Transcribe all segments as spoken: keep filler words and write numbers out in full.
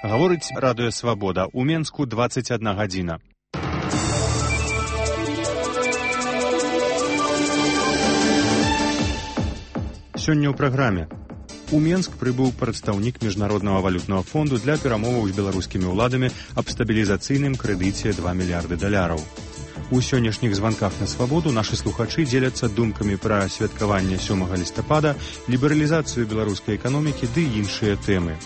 Гаворыць радыё «Свабода». У Менску дваццаць адна гадзіна. Сёння ў праграме. У Менск прыбыў прадстаўнік Міжнароднага валютнага фонду для перамоваў з беларускімі ўладамі аб стабілізацыйным крэдыце два мільярды даляраў. У сённяшніх званках на свабоду нашы слухачы дзеляцца думкамі пра святкаванне сёмага лістапада, лібералізацыю беларускай эканомікі ды іншыя тэмы.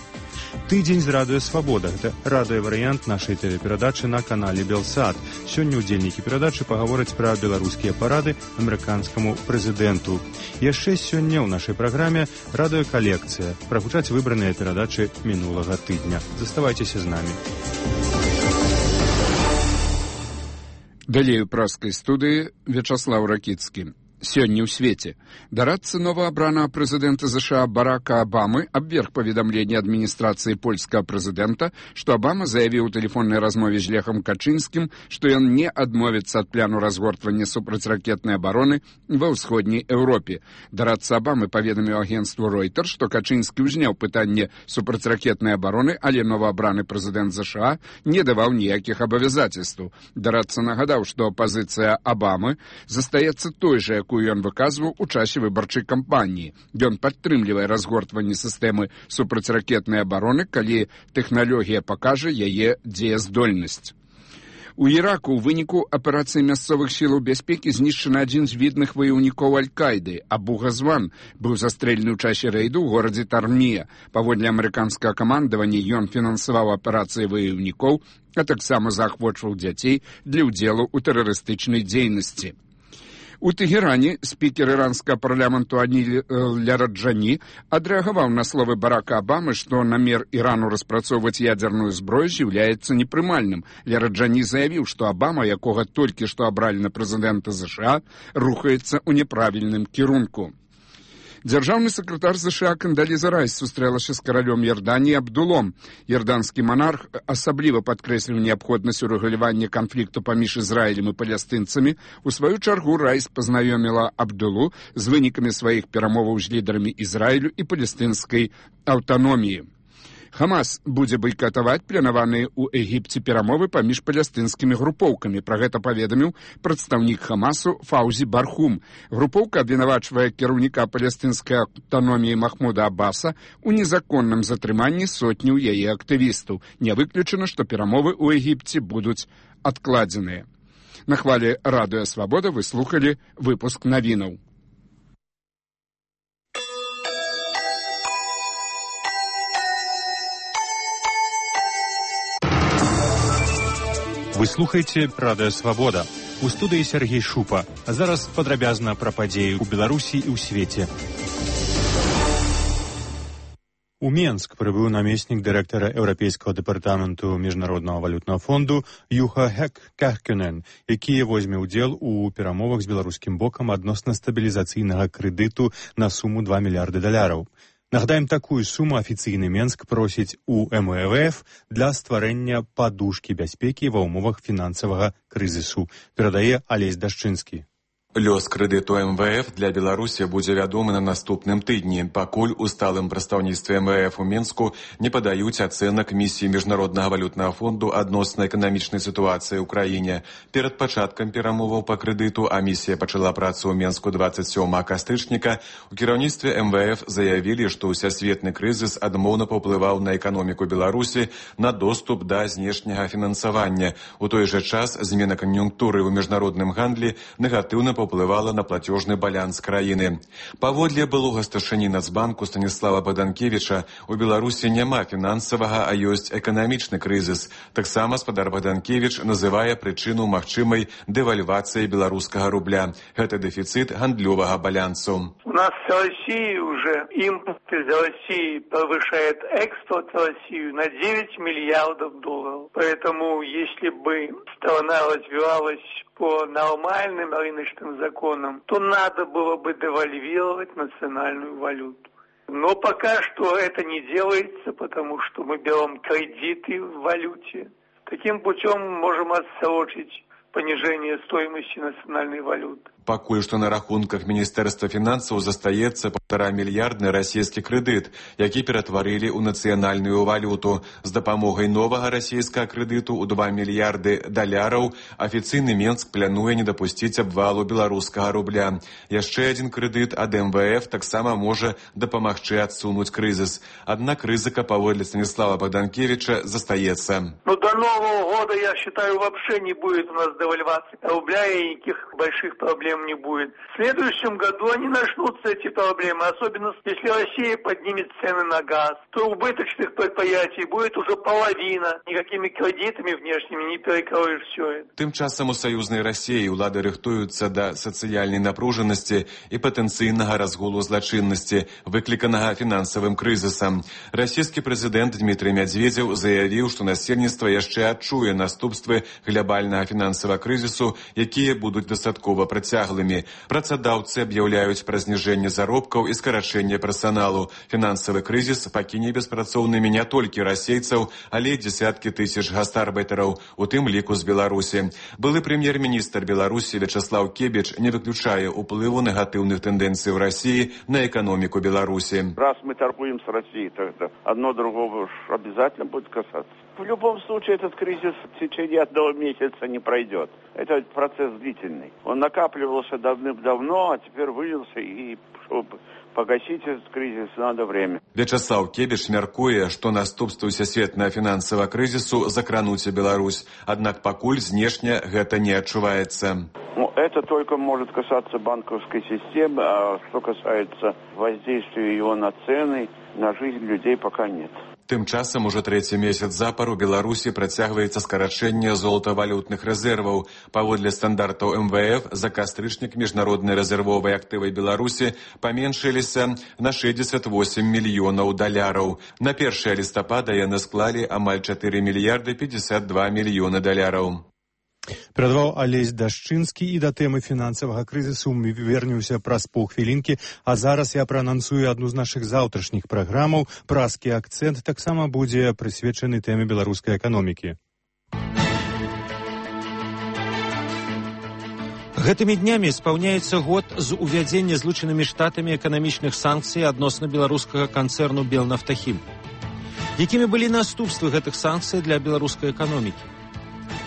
Тыдзень з радыё «Свабода» – гэта радыёварыянт нашай тэлеперадачы на канале «Белсад». Сёння ўдзельнікі перадачы пагавораць пра беларускія парады амерыканскаму прэзідэнту. Яшчэ сёння ў нашай праграме радыёкалекцыя. Прагучаць выбраныя перадачы мінулага тыдня. Заставайцеся з намі. Далей у праскай студыі Вячаслаў Ракіцкі. Сёння ў свеце. Дарадца новаабранага прэзідэнта ЗША Барака Абамы абверг паведамленне адміністрацыі польскага прэзідэнта, што Абама заявіў у тэлефоннай размове з Лехам Качынскім, што ён не адмовіцца ад пляну разгортвання супрацьракетнай абароны ва ўсходняй Еўропе. Дарадца Абамы паведаміў агенцтву Ройтер, што Качынскі ўзняў пытанне супрацьракетнай абароны, але новаабраны прэзідэнт ЗША не даваў ніякіх абавязацельстваў. Дарадца нагадаў, што пазіцыя Абамы застаецца той жа, якую ён выказваў у часе выбарчай кампаніі. Ён падтрымлівае разгортванне сістэмы супрацьракетнай абароны, калі тэхналогія пакажа яе дзеяздольнасць. У Іраку ў выніку аперацыі мясцовых сілаў бяспекі знішчаны адзін з відных ваяўнікоў Аль-Каіды. Абу Газван быў застрэлены ў часе рэйду ў горадзе Тармія. Паводле амерыканскага камандавання ён фінансаваў аперацыі ваяўнікоў, а таксама заахвочваў дзяцей для ўдзелу ў тэрарыстычнай дзейнасці. У Тэгеране спікер іранскага парламенту Аніль Ляраджані адрэагаваў на словы Барака Абамы, што намер Ірану распрацоўваць ядзерную зброю з'яўляецца непрымальным. Ляраджані заявіў, што Абама, якога толькі што абралі на прэзідэнта ЗША, рухаецца ў няправільным кірунку. Дзяржаўны сакратар ЗША Кандаліза Райс сустрэлася з каралём Ярданіі Абдулом. Ярданскі манарх асабліва падкрэсліў неабходнасць урэгулявання канфлікту паміж Ізраілем і палестынцамі. У сваю чаргу Райс пазнаёміла Абдулу з вынікамі сваіх перамоваў з лідарамі Ізраілю і палестынскай аўтаноміі. Хамас будзе байкатаваць планаваныя ў Егіпце перамовы паміж палестынскімі групоўкамі. Пра гэта паведаміў прадстаўнік Хамасу Фаўзі Бархум. Групоўка абвінавачвае кіраўніка палестынскай аўтаноміі Махмуда Аббаса ў незаконным затрыманні сотняў яе актывістаў. Не выключана, што перамовы ў Егіпце будуць адкладзеныя. На хвалі радыё «Свабода» вы слухалі выпуск навінаў. Вы слухаеце радыё «Свабода». У студыі Сергей Шупа. А зараз падрабязна пра падзеі ў Беларусі і ў свеце. У Менск прыбыў намеснік дырэктара Еўрапейскага дэпартаменту Міжнароднага валютнага фонду Юха Хек Кахкюнен, які возьме ўдзел у перамовах з беларускім бокам адносна стабілізацыйнага крэдыту на суму два мільярды даляраў. Нагадаем, такую суму афіцыйны Менск просіць у эм вэ эф для стварэння падушкі бяспекі ва ўмовах фінансавага крызісу, перадае Алесь Дашчынскі. Лёс крэдыту эм вэ эф для Беларусі будзе вядомы на наступным тыдні, пакуль у сталым прадстаўніцтве эм вэ эф у Менску не падаюць ацэнак місіі Міжнароднага валютнага фонду адносна эканамічнай сітуацыі ў краіне. Перад пачаткам перамоваў па крэдыту, а місія пачала працу ў Менску дваццаць сёмага кастрычніка, у кіраўніцтве эм вэ эф заявілі, што ўсясветны крызіс адмоўна паўплываў на эканоміку Беларусі, на доступ да знешняга фінансавання. У той жа час змена кан'юнктуры ў міжнародным гандлі негатыўна паўплывала на платежны баланс краіны. Паводле былога старшыні Нацбанку Станіслава Баданкевіча, у Беларусі няма фінансавага, а ёсць эканамічны крызіс. Таксама спадар Баданкевіч называе прычыну магчымай дэвальвацыі беларускага рубля. Гэта дэфіцыт гандлёвага балансу. У нас в России уже импорт из России повышает экспорт в Россию на девять миллиардов долларов. Поэтому, если бы страна развивалась по нормальным рыночным законам, то надо было бы девальвировать национальную валюту. Но пока что это не делается, потому что мы берем кредиты в валюте. Таким путем можем отсрочить понижение стоимости национальной валюты. Пакуль што на рахунках Міністэрства фінансаў застаецца паўтара мільярдны расійскі крэдыт, які ператварылі ў нацыянальную валюту. З дапамогай новага расійскага крэдыту ў два мільярды даляраў афіцыйны Менск плануе не дапусціць абвалу беларускага рубля. Яшчэ адзін крэдыт ад эм вэ эф таксама можа дапамагчы адсунуць крызіс. Аднак рызыка, паводле Станіслава Богданкевича, застаецца. Ну, до Нового года, я считаю, вообще не будет у нас девальвации рубля и никаких больших проблем не будет. В следующем году они начнутся, эти проблемы, особенно если Россия поднимет цены на газ, то убыточных предприятий будет уже половина. Никакими кредитами внешними не перекроешь все это. Тым часам у саюзнай Расіі ўлады рыхтуюцца да сацыяльнай напружанасці і патэнцыйнага разгулу злачыннасці, выкліканага фінансавым крызісам. Расійскі прэзідэнт Дмітрый Мядзведзеў заявіў, што насельніцтва яшчэ адчуе наступствы глобальнага фінансавага крызісу, якія будуць дастаткова працяглымі. Працадаўцы аб'яўляюць пра зніжэнне заробкаў і скарачэнне персаналу. Фінансавы крызіс пакіне беспрацоўнымі не толькі расейцаў, але і дзесяткі тысяч гастарбайтараў, у тым ліку з Беларусі. Былы прэм'ер-міністр Беларусі Вячаслаў Кебіч не выключае ўплыву негатыўных тэндэнцый ў Расіі на эканоміку Беларусі. Раз мы торгуем с Россией, то это одно другого уж обязательно будет касаться. В любом случае этот кризис в течение одного месяца не пройдет. Это процесс длительный. Он накапливался давным-давно, а теперь вылился, и чтобы погасить этот кризис надо время. Вячаслав Кебіч мяркуе, што наступствы сусветнага фінансавага крызісу закрануць Беларусь. Аднак пакуль знешне гэта не адчуваецца. Ну, это только может касаться банковской системы, а что касается воздействия его на цены, на жизнь людей пока нет. Тым часам ужо трэці месяц запар у Беларусі працягваецца скарачэнне золатавалютных рэзерваў. Паводле стандартаў эм вэ эф за кастрычнік міжнародныя рэзервовыя актывы Беларусі паменшыліся на шэсцьдзесят восем мільёнаў даляраў. На першае лістапада яны склалі амаль чатыры мільярды пятьдесят два мільёны даляраў. Перадаваў Алесь Дашчынскі, і да тэмы фінансавага крызісу мы вернемся праз паўхвілінкі, а зараз я праанансую адну з нашых заўтрашніх праграмаў. Празкі акцэнт таксама будзе прысвечаны тэме беларускай эканомікі. Гэтымі днямі спаўняецца год з увядзення Злучанымі Штатамі эканамічных санкцый адносна беларускага канцэрну Белнафтахім. Якімі былі наступствы гэтых санкцый для беларускай эканомікі?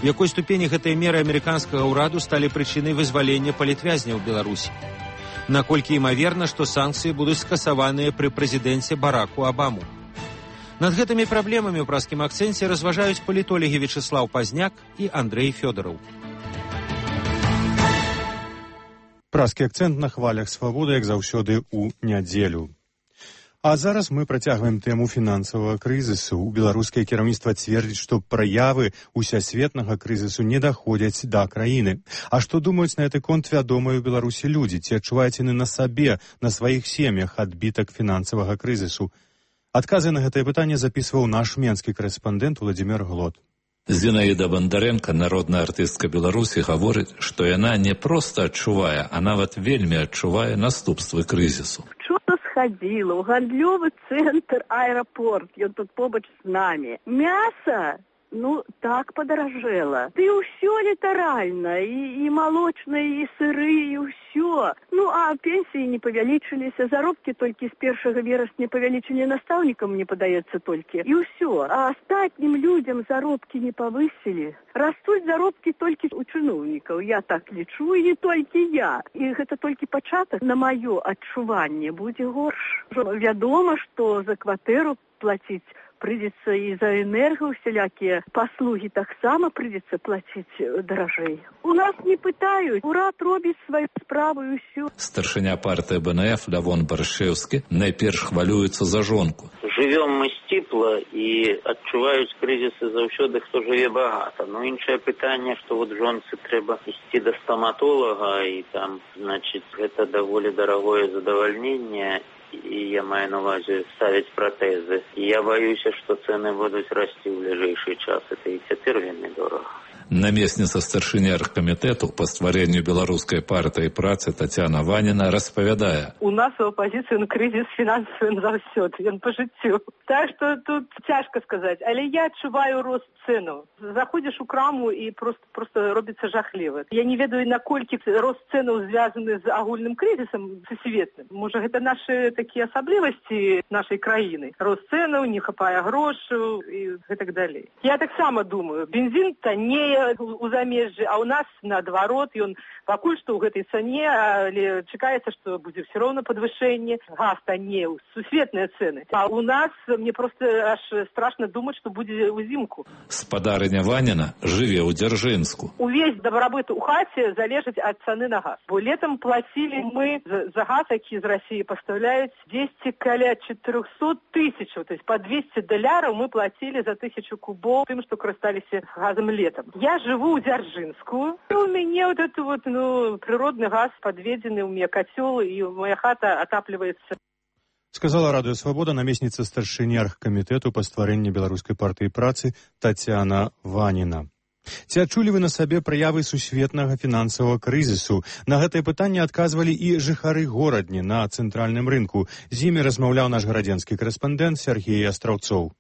У якой ступені гэтыя меры амерыканскага ўраду сталі прычынай вызвалення палітвязняў Беларусі? Наколькі імаверна, што санкцыі будуць скасаваныя пры прэзідэнце Бараку Абаму? Над гэтымі праблемамі ў празкім акцэнце разважаюць палітолагі Вячаслаў Пазняк і Андрэй Фёдараў. Празкі акцэнт на хвалях свабоды, як заўсёды, у нядзелю. А зараз мы працягваем тэму фінансавага крызісу. У беларускае кіраўніцтва цвердзіць, што праявы усесветнага крызісу не даходзяць да краіны. А што думаюць на гэты конт вядомыя ў Беларусі людзі? Ці адчуваюць яны на сабе, на сваіх сем'ях адбітак фінансавага крызісу? Адказы на гэтае пытанне запісваў наш менскі корэспандэнт Владзімир Глот. Зінаіда Бандарэнка, народная артыстка Беларусі, гаворыць, што яна не проста адчувае, а нават вельмі адчувае наступствы крызісу. Ходила в гандлёвый центр аэропорт, ён тут побач с нами. Мясо, ну, так подорожело. Ты все літаральна, и, и молочное, и сыры, и все. Ну, а пенсии не павялічылись, заробки только с первого вересня павялічылі наставникам не подается только. И все. А остальным людям заробки не повысили. Растут заробки только у чиновников. Я так лічу, и не только я. И это только початок. На мое адчуванне будзе горш. Вядома, что за кватэру платить придется и за энерго, всякие послуги так само придется платить дорожей. У нас не пытают, урад робіць свою справу и все. Старшыня партии бэ эн эф Лявон Баршэўскі найперш хвалюецца за жонку. Живем мы сціпла и адчуваюць кризисы заўсёды, хто жыве багата. Но іншае пытанне, что вот жонцы трэба ісці до стоматолога, и там, значит, это даволі дарагое задавальненне. И я маю на увазе ставить протезы. И я боюсь, что цены будут расти в ближайший час. Это и цяпер вельмі дорого. Намесніца старшыні аргкамітэту па стварэнню беларускай партыі працы Тацяна Ваніна распавядае. У нас у апозіцыі ну, крызіс фінансавы заўсёды, ён па жыццю. Так што тут цяжка сказаць, але я адчуваю рост цэнаў. Заходзіш у краму і просто, просто робіцца жахліва. Я не ведаю, наколькі рост цэнаў звязаны з агульным крызісам сусветным. Можа, гэта нашы такія асаблівасці нашай краіны. Рост цэнаў, не хапае грошаў і гэтак далей. Я таксама думаю, бензін таннее у замежжы, а у нас наадварот, ён пакуль што ў гэтай цане, але чакаецца, што будзе ўсё роўна падвышэнне. Газ таннее, сусветныя цэны. А у нас мне просто аж страшна думаць, што будзе ўзімку. Спадарыня Ваніна жыве ў Дзяржынску. Увесь дабрабыт у хаце залежыць ад цаны на газ. Бо летам плацілі мы за газ, які з Расіі пастаўляюць дзесьці каля чатырохсот тысячаў, то есть по двести даляраў мы плацілі за тысячу кубоў тым, што карысталіся газам летам. Я живу у Дзяржынску, и у меня вот это вот, ну, природный газ подведенный, у меня котел, и моя хата отапливается. Сказала Радыё Свабода намесніца старшыні аргкамітэту па стварэнні беларускай партыі працы Тацяна Ваніна. Ці адчулі вы на сабе праявы сусветнага фінансавага крызісу? На гэтае пытанне адказвалі і жыхары горадні на цэнтральным рынку. З імі размаўляў наш гарадзенскі корэспандэнт Сергей Астраўцоў.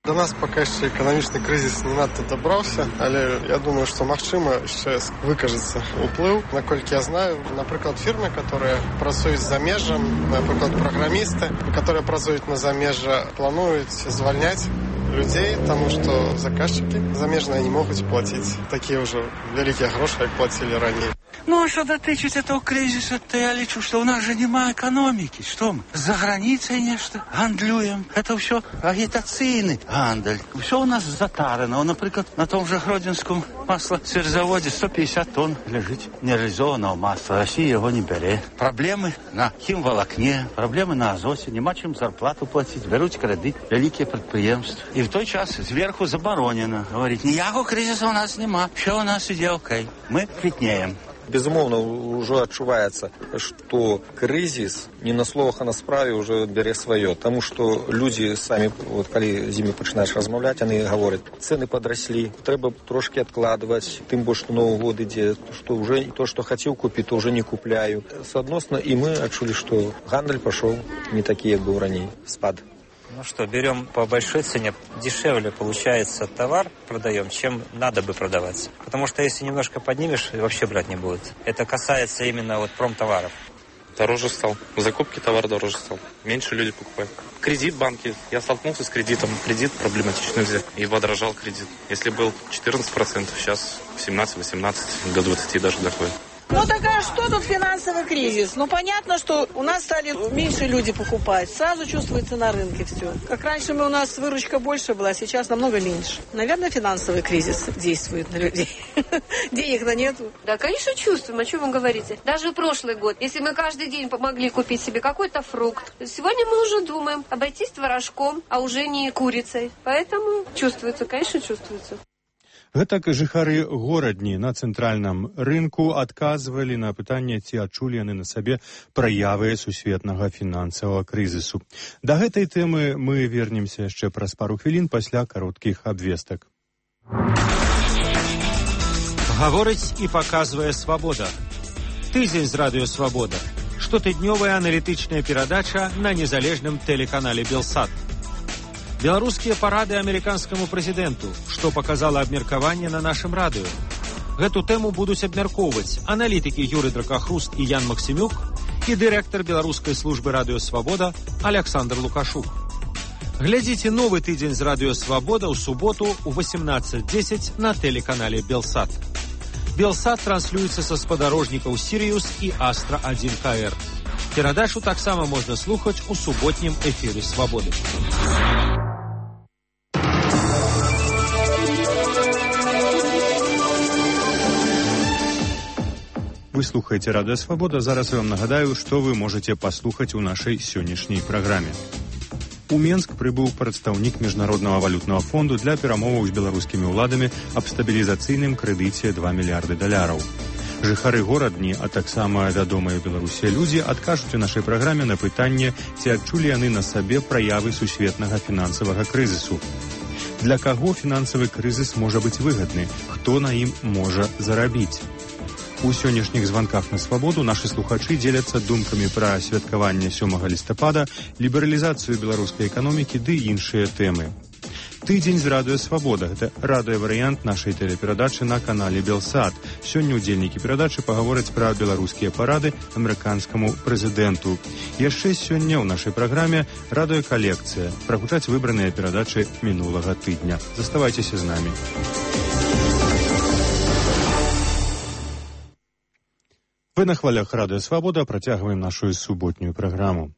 До нас пока еще экономічны кризис не надто добрался, але я думаю, что магчыма еще выкажется уплыв. Наколькі я знаю, например, фирмы, которые працуюць за межам, например, программисты, которые працуюць на замежжа, плануюць звольнять людей, потому что заказчики замежные не могут платить такие уже великие гроши, как платили ранее. Ну, а что дотычить этого кризиса, то я лечу, что у нас же нема экономики. Что мы, за границей нечто гандлюем? Это все агитационный гандль. Все у нас затарано. Например, на том же Гродненском маслосырзаводе сто пятьдесят тонн лежит нереализованного масла. Россия его не берет. Проблемы на химволокне, проблемы на азоте. Нема чем зарплату платить. Берут кредит великие предприемства. И в той час сверху заборонено. Говорить, ніякого кризиса у нас нема. Все у нас иде окей. Мы квітнеем. Безумоўна, уже адчуваецца, што крызіс не на словах, а на справе уже бярэ сваё. Таму што людзі самі, вот, калі з імі пачынаеш размаўляць, яны гавораць, цэны падраслі, трэба трошкі адкладваць, тым больш, што Новы год ідзе, што уже то, што хацеў купіць, то уже не купляю. Соотносно, і мы адчулі, што гандаль пашоў не такі, як быў раней, спад. Ну что, берем по большой цене, дешевле получается товар продаем, чем надо бы продавать. Потому что если немножко поднимешь, вообще брать не будет. Это касается именно вот промтоваров. Дороже стал. В закупке товар дороже стал. Меньше люди покупают. Кредит в банке. Я столкнулся с кредитом. Кредит проблематично взять. И подорожал кредит. Если был четырнадцать процентов, сейчас семнадцать-восемнадцать, до двадцати даже доходит. Ну так а что тут финансовый кризис? Ну понятно, что у нас стали меньше люди покупать. Сразу чувствуется на рынке все. Как раньше мы, у нас выручка больше была, сейчас намного меньше. Наверное, финансовый кризис действует на людей. Денег-то нету. Да, конечно, чувствуем. О чем вы говорите? Даже прошлый год, если мы каждый день помогли купить себе какой-то фрукт, сегодня мы уже думаем обойтись творожком, а уже не курицей. Поэтому чувствуется, конечно, чувствуется. Гэтак жыхары горадні на цэнтральным рынку адказвалі на пытанне, ці адчулі яны на сабе праявы сусветнага фінансавага крызісу. Да гэтай тэмы мы вернемся яшчэ праз пару хвілін пасля кароткіх абвестак. Гаворыць і паказвае Свабода. Тыдзень з радыё Свабода. Штотыднёвая аналітычная перадача на незалежным тэлеканале Белсат. Беларускія парады амерыканскаму прэзідэнту, што паказала абмеркаванне на нашым радыё. Гэту тэму будуць абмяркоўваць аналітыкі Юры Дракахруст і Ян Максімюк і дырэктар беларускай службы радыё Свабода Аляксандр Лукашук. Глядзіце новы тыдзень з радыё Свабода ў суботу ў восемнадцать десять на тэлеканале Белсат. Белсат транслюецца са спадарожнікаў Сірыус і Астра один ка эр. Перадачу таксама можна слухаць у суботнім эфіры Свабоды. Вы слухаеце Радыё Свабода. Зараз я вам нагадаю, што вы можаце паслухаць у нашай сённяшняй праграме. У Менск прыбыў прадстаўнік Міжнароднага валютнага фонду для перамоваў з беларускімі ўладамі аб стабілізацыйным крэдыце два мільярды даляраў. Жыхары горадні, а таксама вядомыя Беларусі людзі адкажуць у нашай праграме на пытанне, ці адчулі яны на сабе праявы сусветнага фінансавага крызісу. Для каго фінансавы крызіс можа быць выгадны? Хто на ім можа зарабіць? У сённяшніх званках на свабоду нашы слухачы дзеляцца думкамі пра святкаванне сёмага лістапада, лібералізацыю беларускай эканомікі ды іншыя тэмы. Тыдзень з радыё «Свабода» – гэта радыёварыянт нашай тэлеперадачы на канале «Белсат». Сёння ўдзельнікі перадачы пагавораць пра беларускія парады амерыканскаму прэзідэнту. Яшчэ сёння ў нашай праграме радыёкалекцыя. Прагучаць выбраныя перадачы мінулага тыдня. Заставайцеся з намі. Вы на хвалях радыё «Свабода» працягваем нашу суботнюю праграму.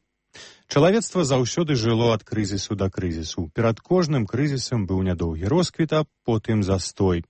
Чалавецтва заўсёды жыло ад крызісу да крызісу. Перад кожным крызісам быў нядоўгі росквіт, а потым застой.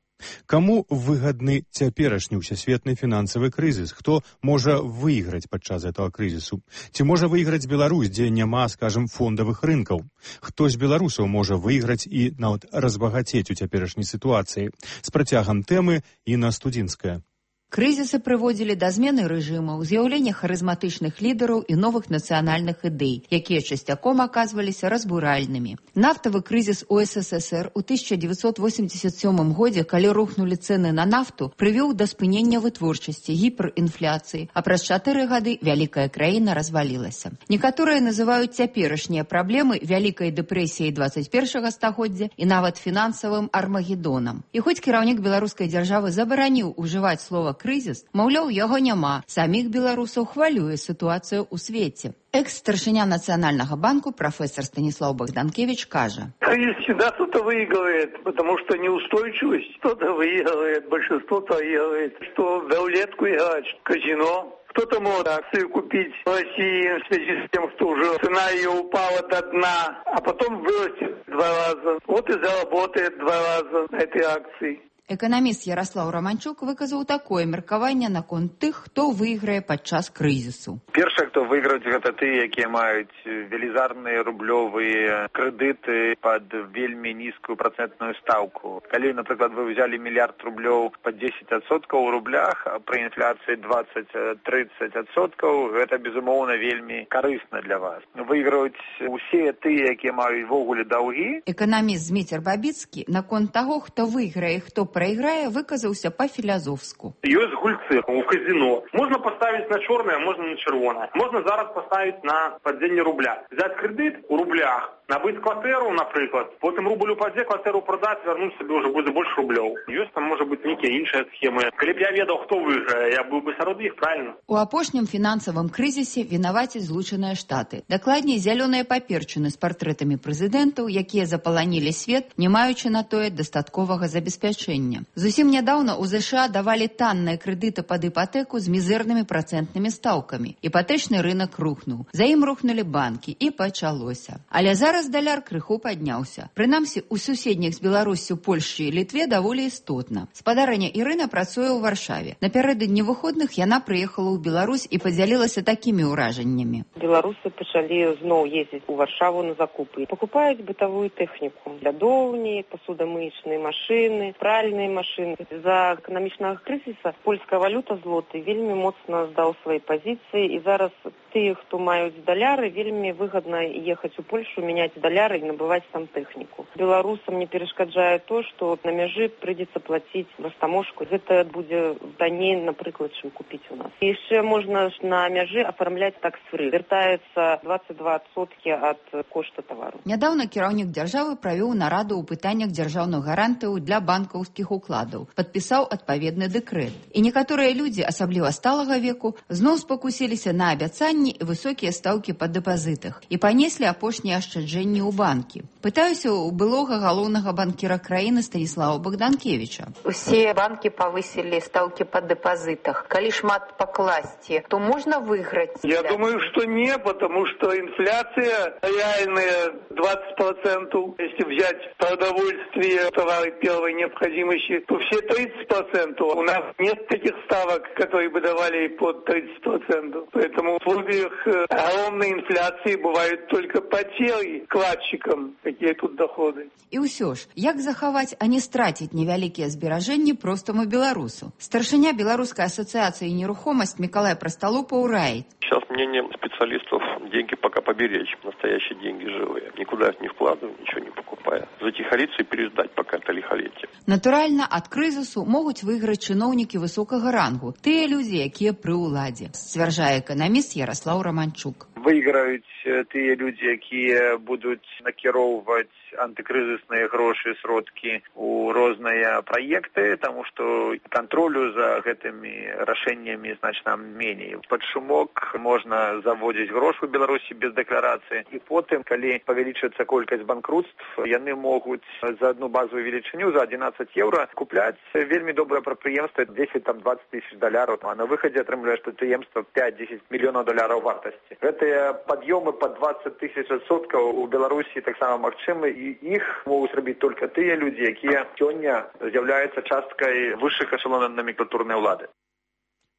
Каму выгадны цяперашні ўсесветны фінансавы крызіс? Хто можа выйграць падчас гэтага крызісу? Ці можа выйграць Беларусь, дзе няма, скажам, фондавых рынкаў? Хто з беларусаў можа выйграць і нават разбагацець у цяперашняй сітуацыі? З працягам тэмы Інна Студзінская. Крызісы прыводзілі да змены рэжымаў, з'яўлення харызматычных лідараў і новых нацыянальных ідэй, якія часцяком аказваліся разбуральнымі. Нафтавы крызіс у эс эс эс эр у тысяча дзевяцьсот восемьдесят сёмым годзе, калі рухнулі цэны на нафту, прывёў да спынення вытворчасці, гіперінфляцыі, а праз чатыры гады вялікая краіна развалілася. Некаторыя называюць цяперашнія праблемы вялікай дэпрэсіяй дваццаць першага стагоддзя і нават фінансавым армагедонам. І хоць кіраўнік беларускай дзяржавы забараніў ужываць слова крызіс, маўляў, яго няма. Саміх беларусаў хвалюе сітуацыю ў свеце. Экс-старшыня Национального банка профессор Станислав Богданкевич кажа. Кризис всегда кто-то выигрывает, потому что неустойчивость кто-то выигрывает, большинство проигрывает. Что в рулетку играть, в казино. Кто-то может акцию купить в России в связи с тем, что уже цена ее упала до дна, а потом вырастет два раза. Вот и заработает два раза на этой акции. Эканаміст Ярослав Романчук выказаў такое меркаванне наконт тых, хто выйграе падчас крызісу. Першае, хто выйграюць, гэта тыя, якія маюць велізарныя рублёвыя крэдыты пад вельмі нізкую працэнтную стаўку. Калі, напрыклад, вы ўзялі мільярд рублёў пад дзесяць адсоткаў у рублях, а пры інфляцыі дваццаць-трыццаць адсоткаў, гэта, безумоўна, вельмі карысна для вас. Выйграюць усе тыя, якія маюць ввогуле даўгі. Эканаміст Зміцер Бабіцкі наконт таго, хто выйграе, хто проиграя, выказаўся па-філязофску. Ёсць гульцы у казино. Можна поставіць на чорнае, можна на чырвонае. Можна зараз поставіць на падзенне рубля. Взять крэдыт у рублях, набыць кватэру, напрыклад, потым рубль упадзе, кватэру прадаць, вярнуць сабе ўжо будзе больш рублёў. Ёсць там, можа быць, нейкія іншыя схемы. Калі б я ведаў, хто выйграе, я быў бы сярод іх, правильно? У апошнім фінансавым крызісе вінавацяць Злучаныя Штаты. Дакладней, зялёныя паперчыны з партрэтамі прэзідэнтаў, якія запаланілі свет, не маючы на тое дастатковага забеспячэння. Зусім нядаўна ў ЗША давалі танныя крэдыты пад іпатэку з мізэрнымі працэнтнымі стаўкамі. Іпатэчны рынак рухнуў. За ім рухнулі банкі і пачалося. Але зараз даляр крыху падняўся. Прынамсі, у суседніх з Беларуссю, Польшчы і Літве даволі істотна. Спадарыня Ірына працуе ў Варшаве. Напярэдадні выходных яна прыехала ў Беларусь і падзялілася такімі ўражаннямі. Беларусы пачалі зноў ездзіць у Варшаву на закупы. Пакупаюць бытавую тэхніку. Лядоўні, пасудамыечныя машыны, пральныя машины. За эканамічнага крызіса польская валюта злоты вельмі моцна здаў свае пазіцыі, і зараз тыя, хто маюць даляры, вельмі выгадна ехаць у Польшу, мяняць даляры і набываць там тэхніку. Беларусам не перашкаджае то, што на мяжы прыйдзецца плаціць растаможку. Гэта будзе танней, напрыклад, чым купіць у нас. І яшчэ можна на мяжы афармляць такс-фры. Вяртаецца дваццаць два адсоткі ад кошта тавару. Нядаўна кіраўнік дзяржавы правёў нараду ў пытаннях дзяржаўных гарантыяў для банкаўскіх укладаў, падпісаў адпаведны дэкрэт. І некаторыя людзі, асабліва сталага веку, зноў спакусіліся на абяцанні і высокія стаўкі па дэпазітах і панеслі апошнія ашчаджэнні ў банкі. Пытаюся у былога галоўнага банкіра краіны Станіслава Богданкевича. Усе банкі павысілі стаўкі па дэпазітах. Калі шмат пакласці, то можна выйграць? Я думаю, что не, потому что инфляция реальная двадцать процентов. Если взять продовольствие, товары первой необходимости, то все тридцать процентов. У нас нет таких ставок, которые бы давали под тридцать процентов. Поэтому в условиях огромной инфляции бывают только потери вкладчикам. Какие тут доходы. І ўсё ж, як захаваць, а не страціць невялікія зберажэнні простаму беларусу? Старшыня Беларускай асацыяцыі нерухомасць Мікалай Прасталупаў раіць. Сейчас мнение специалистов – деньги пока поберечь, настоящие деньги живые. Никуда их не вкладывая, ничего не покупая. Затихариться и переждать пока это лихолетие. Натуральна, ад крызісу могуць выйграць чыноўнікі высокага рангу, тыя людзі, якія пры ўладзе, сцвярджае эканаміст Ярослаў Романчук. Выйграюць тыя людзі, якія будуць накіроўваць антыкрызісныя грошы, сродкі ў розныя праекты, таму што кантролю за гэтымі рашэннямі значна меней. Пад шумок можна заводзіць грошы ў Беларусі без дэкларацыі, і потым, калі павялічыцца колькасць банкрутств, яны могуць за одну базовую велічыню, за одиннадцать еўра, купляць вельмі добрае прадпрыемства дзесяць-дваццаць тысяч даляраў, а на выхадзе атрымліваеш прадпрыемства пять-десять мільёнаў даляраў вартасці. Гэтыя пад'ёмы па двадцать тысяч адсоткаў у Беларусі таксама магчымы, і іх могуць рабіць толькі тыя людзі, якія сёння з'яўляюцца часткай высшых эшелонаў номенклатурнай улады.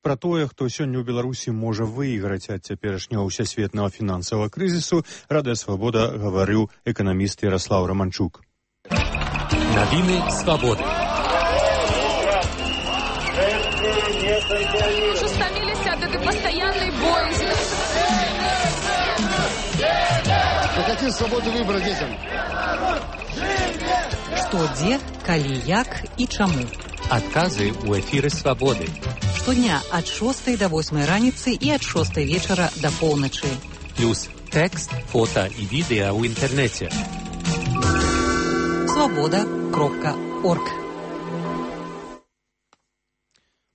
Пра тое, хто сёння ў Беларусі можа выйграць ад цяперашняга ўсесветнага фінансавага крызісу, Радыё Свабода гаварыў эканаміст Ярослаў Романчук. Навіны свабоды. Уже стаміліся ад этой пастаяннай боязі. Какие свободы выбора детям? Што, дзе, калі, як і чаму. Адказы ў эфіры свабоды. Штодня ад шостай да восьмай раніцы і ад шостай вечара да поўначы. Плюс тэкст, фота і відэа ў інтэрнэце. свабода кропка орг.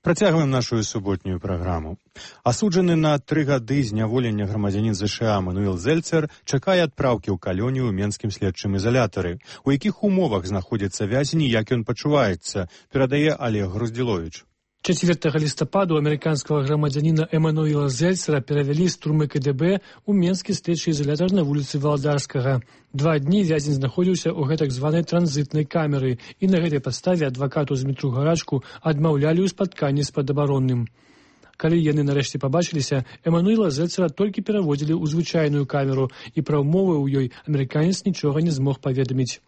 Працягваем нашу суботнюю праграму. Асуджаны на тры гады зняволення грамадзянін ЗША Эмануэл Зельцер чакае адпраўкі ў калонію ў менскім следчым изолятары. У якіх умовах знаходзіцца вязень і як ён пачуваецца, перадае Олег Груздзіловіч. чацвёртага лістапада амерыканскага грамадзяніна Эмануэла Зельцера перавялі з турмы КДБ у менскі следчы изолятар на вуліцы Валдарскага. Два дні вязень знаходзіўся ў гэтак званай транзітнай камеры, і на гэтай падставе адвакату Змітру Гарачку адмаўлялі ў спатканні з падабаронным. Калі яны нарэшце пабачыліся, Эмануэла Зельцера толькі пераводзілі ў звычайную камеру, і пра ўмовы ў ёй амерыканец нічога не змог паведаміць.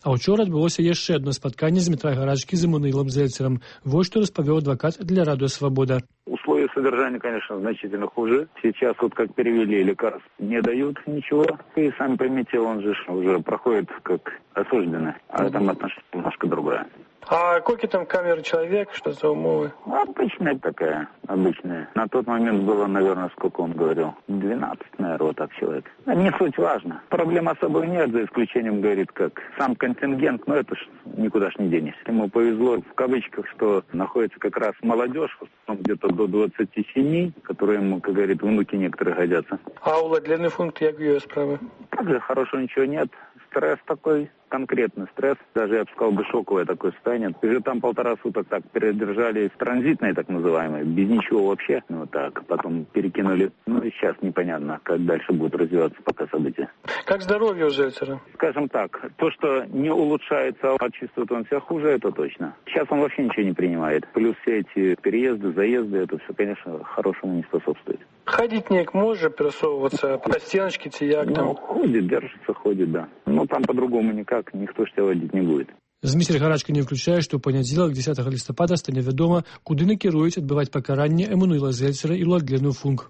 А учора адбылося яшчэ одно спатканне Змітра Гарачкі з Эмануэлом Зельцером. Вот что распавёў адвокат для Радио Свобода. Условия содержания, конечно, значительно хуже. Сейчас вот как перевели, лекарств не дают ничего. И сами поймите, он же уже проходит как осужденный. А там отношение немножко другое. А сколько там камер человек, что за умовы? Обычная такая, обычная. На тот момент было, наверное, сколько он говорил? двенадцать, наверное, вот так человек. Не суть важно. Проблем особо нет, за исключением, говорит, как сам контингент, но это ж никуда ж не денешься. Ему повезло, в кавычках, что находится как раз молодежь, где-то до двадцати семи, которые ему, как говорит, внуки некоторые годятся. А уладленный функт, як ее справа? Также хорошего ничего нет. Стресс такой, конкретный стресс, даже, я бы сказал, бы шоковое такое состояние. Уже там полтора суток так передержали в транзитной, так называемой, без ничего вообще. Ну так, потом перекинули. Ну и сейчас непонятно, как дальше будут развиваться пока события. Как здоровье у Зельцера? Скажем так, то, что не улучшается, а чувствует он себя хуже, это точно. Сейчас он вообще ничего не принимает. Плюс все эти переезды, заезды, это все, конечно, хорошему не способствует. Ходить неяк може пересовываться по стеночке, тияк там? Ну, ходит, держится, ходит, да. Но там по-другому никак, никто ж тебя водить не будет. Зміцер Гарачка не ўключае, што ў панядзелак дзесятага лістапада стане вядома, куды накіруюць адбываць пакаранне Эмануэла Зельцера і Уладлену Функ.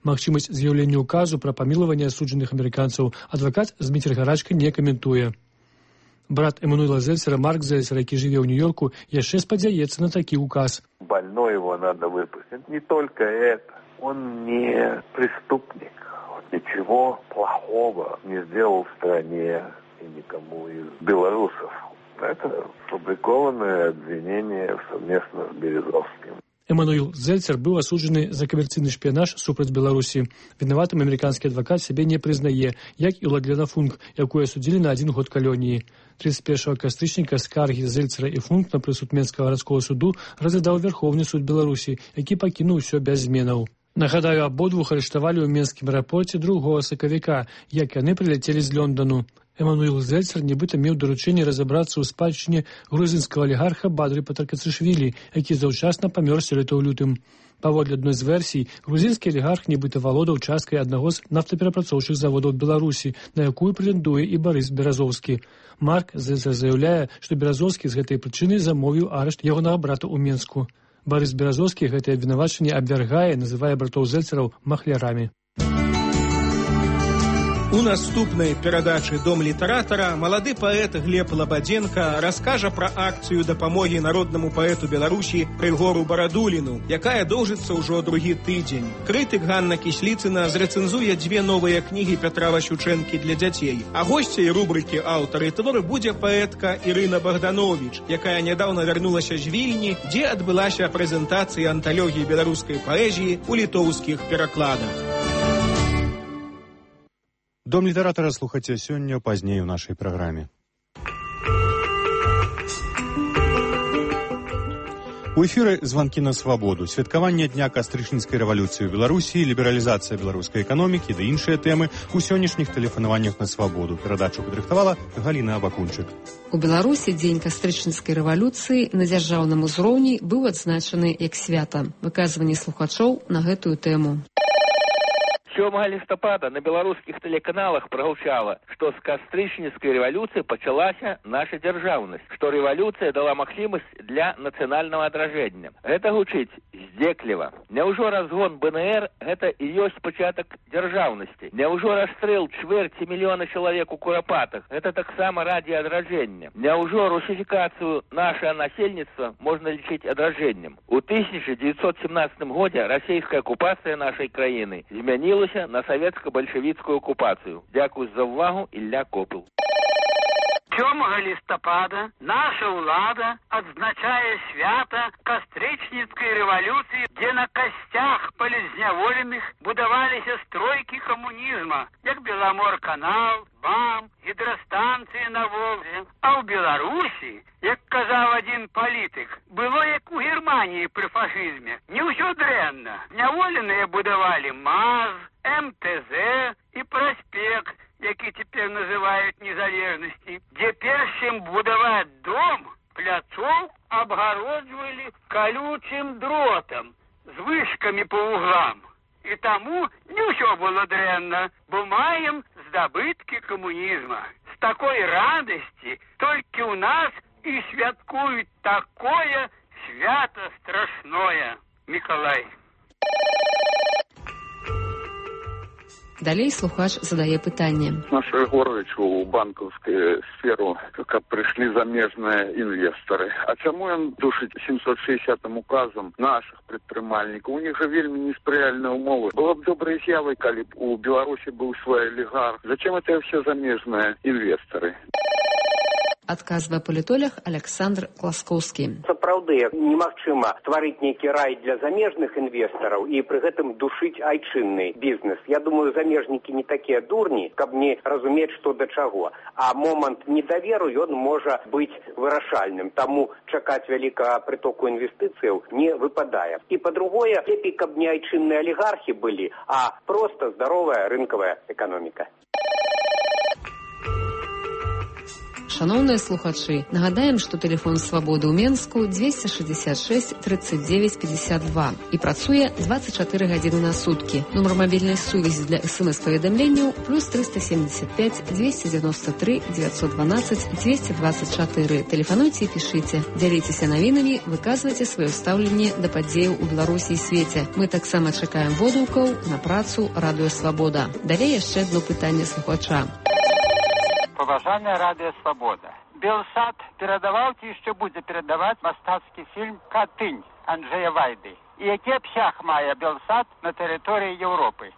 Магчымасць з'яўлення указу пра памілаванне асуджаных амерыканцаў адвакат Зміцер Гарачка не каментуе. Брат Эмануэла Зельцера, Марк Зельцер, які жыве ў Нью-Йорку, яшчэ спадзяецца на такі указ. Больной его надо выпустить. Не только это. Он не преступник. Ничего плохого не сделал в стране и никому из белорусов. Это сфабрикованное обвинение совместно с Березовским. Эмануэл Зельцер быў асуджаны за камерцыйны шпіянаж супраць Беларусі. Вінаватым амерыканскі адвакат сябе не прызнае, як і Уладлена Функ, якую асудзілі на адзін год калоніі. тридцать первого кастрычніка скаргі Зельцера і Функ на прысуд Менскага гарадскога суду разглядаў Верховны суд Беларусі, які пакінуў усё без зменаў. Нагадаю, абодвух арыштавалі ў менскім аэрапорце другога сакавіка, як яны прыляцелі з Лондону. Эмануэл Зельцер нібыта меў даручэнне разабрацца ў спадчыне грузінскага алігарха Бадры Патаркацышвілі, які заўчасна памёр сёлета ў лютым. Паводле адной з версій, грузінскі алігарх нібыта валодаў часткай аднаго з нафтаперапрацоўчых заводаў Беларусі, на якую прэтэндуе і Барыс Беразоўскі. Марк Зельцер заяўляе, што Беразоўскі з гэтай прычыны замовіў арышт ягонага брата ў Менску. Барыс Беразовскі гэтае абвінавачанне абвяргае, называе братоў Зельцераў махлярамі. У наступнай перадачы «Дом літаратара» малады паэт Глеб Лабадзенка раскажа пра акцыю дапамогі народнаму паэту Беларусі Рыгору Барадуліну, якая доўжыцца ўжо другі тыдзень. Крытык Ганна Кісліцына зрэцэнзуе дзве новыя кнігі Пятра Васючэнкі для дзяцей. А госцяй рубрыкі «Аўтары твору» будзе паэтка Ірына Богданович, якая нядаўна вярнулася з Вільні, дзе адбылася прэзентацыя анталогіі беларускай паэзіі ў літоўскіх перакладах. Дом літаратара слухаце сёння, пазней у нашай праграме. У эфіры «Званкі на свабоду», святкаванне дня кастрычніцкай рэвалюцыі ў Беларусі, лібералізацыя беларускай эканомікі ды іншыя тэмы у сённяшніх тэлефанаваннях на свабоду. Перадачу падрыхтавала Галіна Абакунчык. У Беларусі дзень кастрычніцкай рэвалюцыі на дзяржаўным узроўні быў адзначаны як свята. Выказванне слухачоў на гэтую тэму. сёмага лістапада на беларускіх тэлеканалах прагучала, што з кастрычніцкай рэвалюцыі пачалася наша дзяржаўнасць, што рэвалюцыя дала магчымасць для нацыянальнага адражэння. Гэта гучыць здзекліва. Няўжо разгон бэ эн ер гэта і ёсць пачатак дзяржаўнасці? Няўжо расстрэл чвэрці мільёна чалавек у курапатах гэта таксама раді адражэння? Няўжо русіфікацыю нашага насельніцтва можна лічыць адражэннем? У тысяча дзевяцьсот семнадцатым годзе расійская акупацыя нашай краіны змянілася на савецка-бальшавіцкую акупацыю. Дзякуй за ўвагу, Ілля Копыл. сёмага лістапада наша ўлада адзначае свята кастрычніцкай рэвалюцыі, дзе на касцях палізняволеных будаваліся стройкі камунізма, як Беламор-канал, БАМ, гідрастанцыі на Волзе. А ў Беларусі, як казаў адзін палітык, было як у Германіі пры фашызме. Не ўсё дрэнна. Няволеныя будавалі МАЗ, эм тэ зэ і праспект, які цяпер называюць незалежнасці, дзе перш чым будаваць дом, пляцоў абгароджвалі калючым дротам з вышкамі па углам. І таму не ўсё было дрэнна, бо маем здабыткі камунізма. З такой радасці толькі ў нас і святкуюць такое свята страшное. Мікалай. Далей слухач задае пытанне. Наш Рыгорович у банкаўскую сферу, каб прыйшлі замежныя інвестары. А чаму ён душыць сямсот шэсцьдзесятым указам наших прадпрымальнікаў? У них жа вельмі неспрыяльныя умовы. Было б добрай з'явай, калі б у Беларусі быў свой алігарх. Зачем это все замежныя інвесторы? Адказвае палітолог Александр Класкоўскі. Сапраўды, немагчыма стварыць нейкі рай для замежных інвестараў і пры гэтым душыць айчынны бізнес. Я думаю, замежнікі не такія дурні, каб не разумець, што да чаго. А момант недаверу, ён можа быць вырашальным. Таму чакаць вялікага прытоку інвестыцыяў не выпадае. І па-другое, лепей, каб не айчынныя алігархі былі, а проста здаровая рынкавая эканоміка. Шановныя слухачы, нагадаем, што тэлефон свабоды ў Менску дзвесце шэсцьдзесят шэсць тридцать девять пятьдесят два і працуе двадцать чатыры гадзіны на суткі. Нумар мабільнай сувязі для эс-эм-эс-паведамленняў плюс триста семьдесят пять двести девяносто три девятьсот двенадцать двести двадцать четыре. Тэлефануйце і пішыце. Дзяліцеся навінамі, выказвайце сваё стаўленне да падзеяў у Беларусі і свеце. Мы таксама чакаем водгукаў на працу Радыё Свабода. Далей яшчэ адно пытанне слухача. Паважаная Радыё Свабода. Белсат перадаваў ці яшчэ будзе перадаваць мастацкі фільм «Катынь» Анджэя Вайды. І які абсяг мае Белсат на тэрыторыі Еўропы?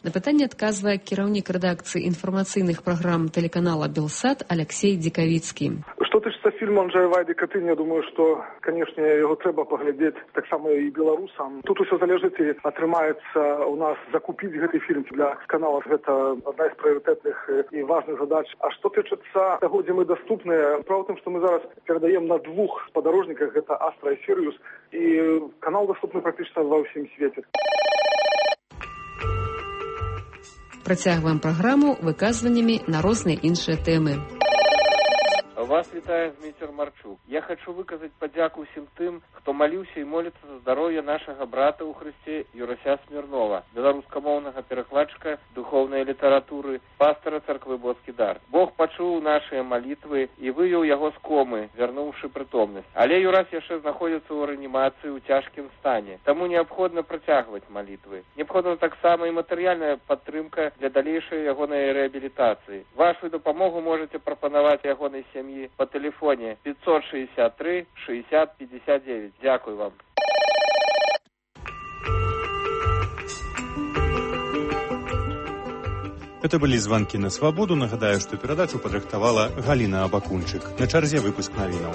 На пытанне адказвае кіраўнік рэдакцыі інфармацыйных праграм тэлеканала «Белсат» Алексей Дзікавіцкі. Што тычыцца фільму Анджэя Вайды «Катынь», я думаю, што, канешне, яго трэба паглядзець таксама і беларусам. Тут усё залежыць і атрымаецца ў нас закупіць гэты фільм для канала. Гэта адна з прыярытэтных і важных задач. А што тычыцца таго, дзе мы даступныя, справа ў тым, што мы зараз перадаем на двух спадарожніках, гэта Астра і Сірыус, і канал даступны практычна ва ўсім свеце. Працягваем праграму выказваннямі на розныя іншыя тэмы. Вас вітае Зміцер Марчук. Я хочу выказаць падзяку ўсім тым, хто што маліўся і моліцца за здароўе нашага брата ў Хрысце Юрася Смірнова, беларускамоўнага перакладчыка духоўнай літаратуры, пастара царквы Боскі дар. Бог пачуў нашыя малітвы і вывеў яго з комы, вярнуўшы прытомнасць. Але Юрас яшчэ знаходзіцца ў рэанімацыі ў цяжкім стане, таму неабходна працягваць малітвы. Неабходна таксама і матэрыяльная падтрымка для далейшай ягонай рэабілітацыі. Вашу дапамогу можаце прапанаваць ягонай сям'і па тэлефоне пятьсот шестьдесят три шестьдесят пятьдесят девять. Дякую вам. Это были звонки на свободу. Нагадаю, что передачу подрыхтовала Галина Абакунчик. На чарзе выпуск новинок.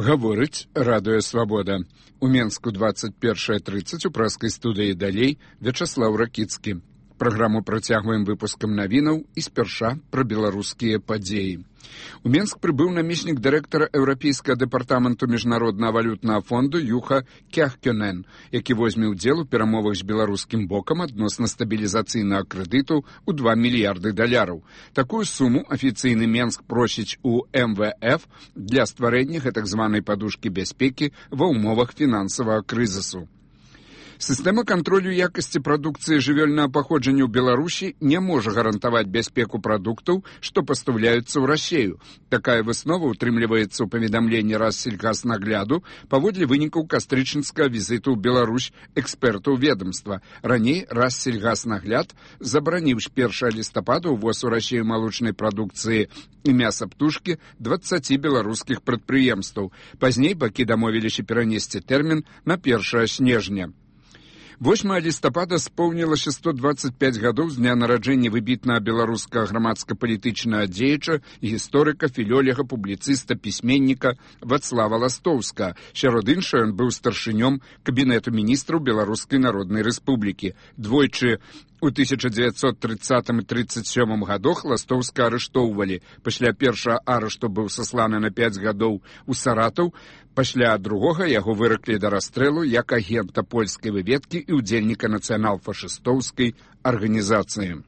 Гаворыць радыё Свабода. У Менску двадцать першая тридцать у праскай студыі далей Вячаслаў Ракіцкі. Праграму працягваем выпускам навінаў і спярша пра беларускія падзеі. У Менск прыбыў намеснік дырэктара Еўрапейскага дэпартаменту міжнароднага валютнага фонду Юха Кяхкёнен, які возьме ўдзел у перамовах з беларускім бокам адносна стабілізацыйнага крэдыту ў два мільярды даляраў. Такую суму афіцыйны Менск просіць у эм вэ эф для стварэння гэтак званай падушкі бяспекі ва ўмовах фінансавага крызісу. Сістэма кантролю якасці прадукцыі жывёльнага паходжання ў Беларусі не можа гарантаваць бяспеку прадуктаў, што пастаўляюцца ў Расею. Такая выснова утрымліваецца ў паведамленні Рассельгаснагляду паводле вынікаў кастрычніцкага візіту ў Беларусь экспертаў ведомства. Раней Рассельгаснагляд забараніў з першага лістапада ўвоз у Расею малочнай прадукцыі і мяса птушкі дваццаці беларускіх прадпрыемстваў. Пазней бакі дамовіліся перанесці тэрмін на першае снежня. восьмага лістапада споўнілася сто двадцать пять гадоў з дня нараджэння выбітнага беларускага грамадска-палітычнага дзеяча, гісторыка, філёлега, публіцыста, пісьменніка Вацлава Ластоўска. Сярод іншага ён быў старшынём кабінету міністраў Беларускай Народнай Рэспублікі. Двойчы у тысяча дзевяцьсот трыццатым і трыццаць сёмым гадах Ластоўска арыштоўвалі. Пасля першага арышту быў сасланы на пяць гадоў у Саратаў. Пасля другога яго выраклі да расстрэлу як агента польскай выведкі і ўдзельніка нацыянал-фашыстоўскай арганізацыі.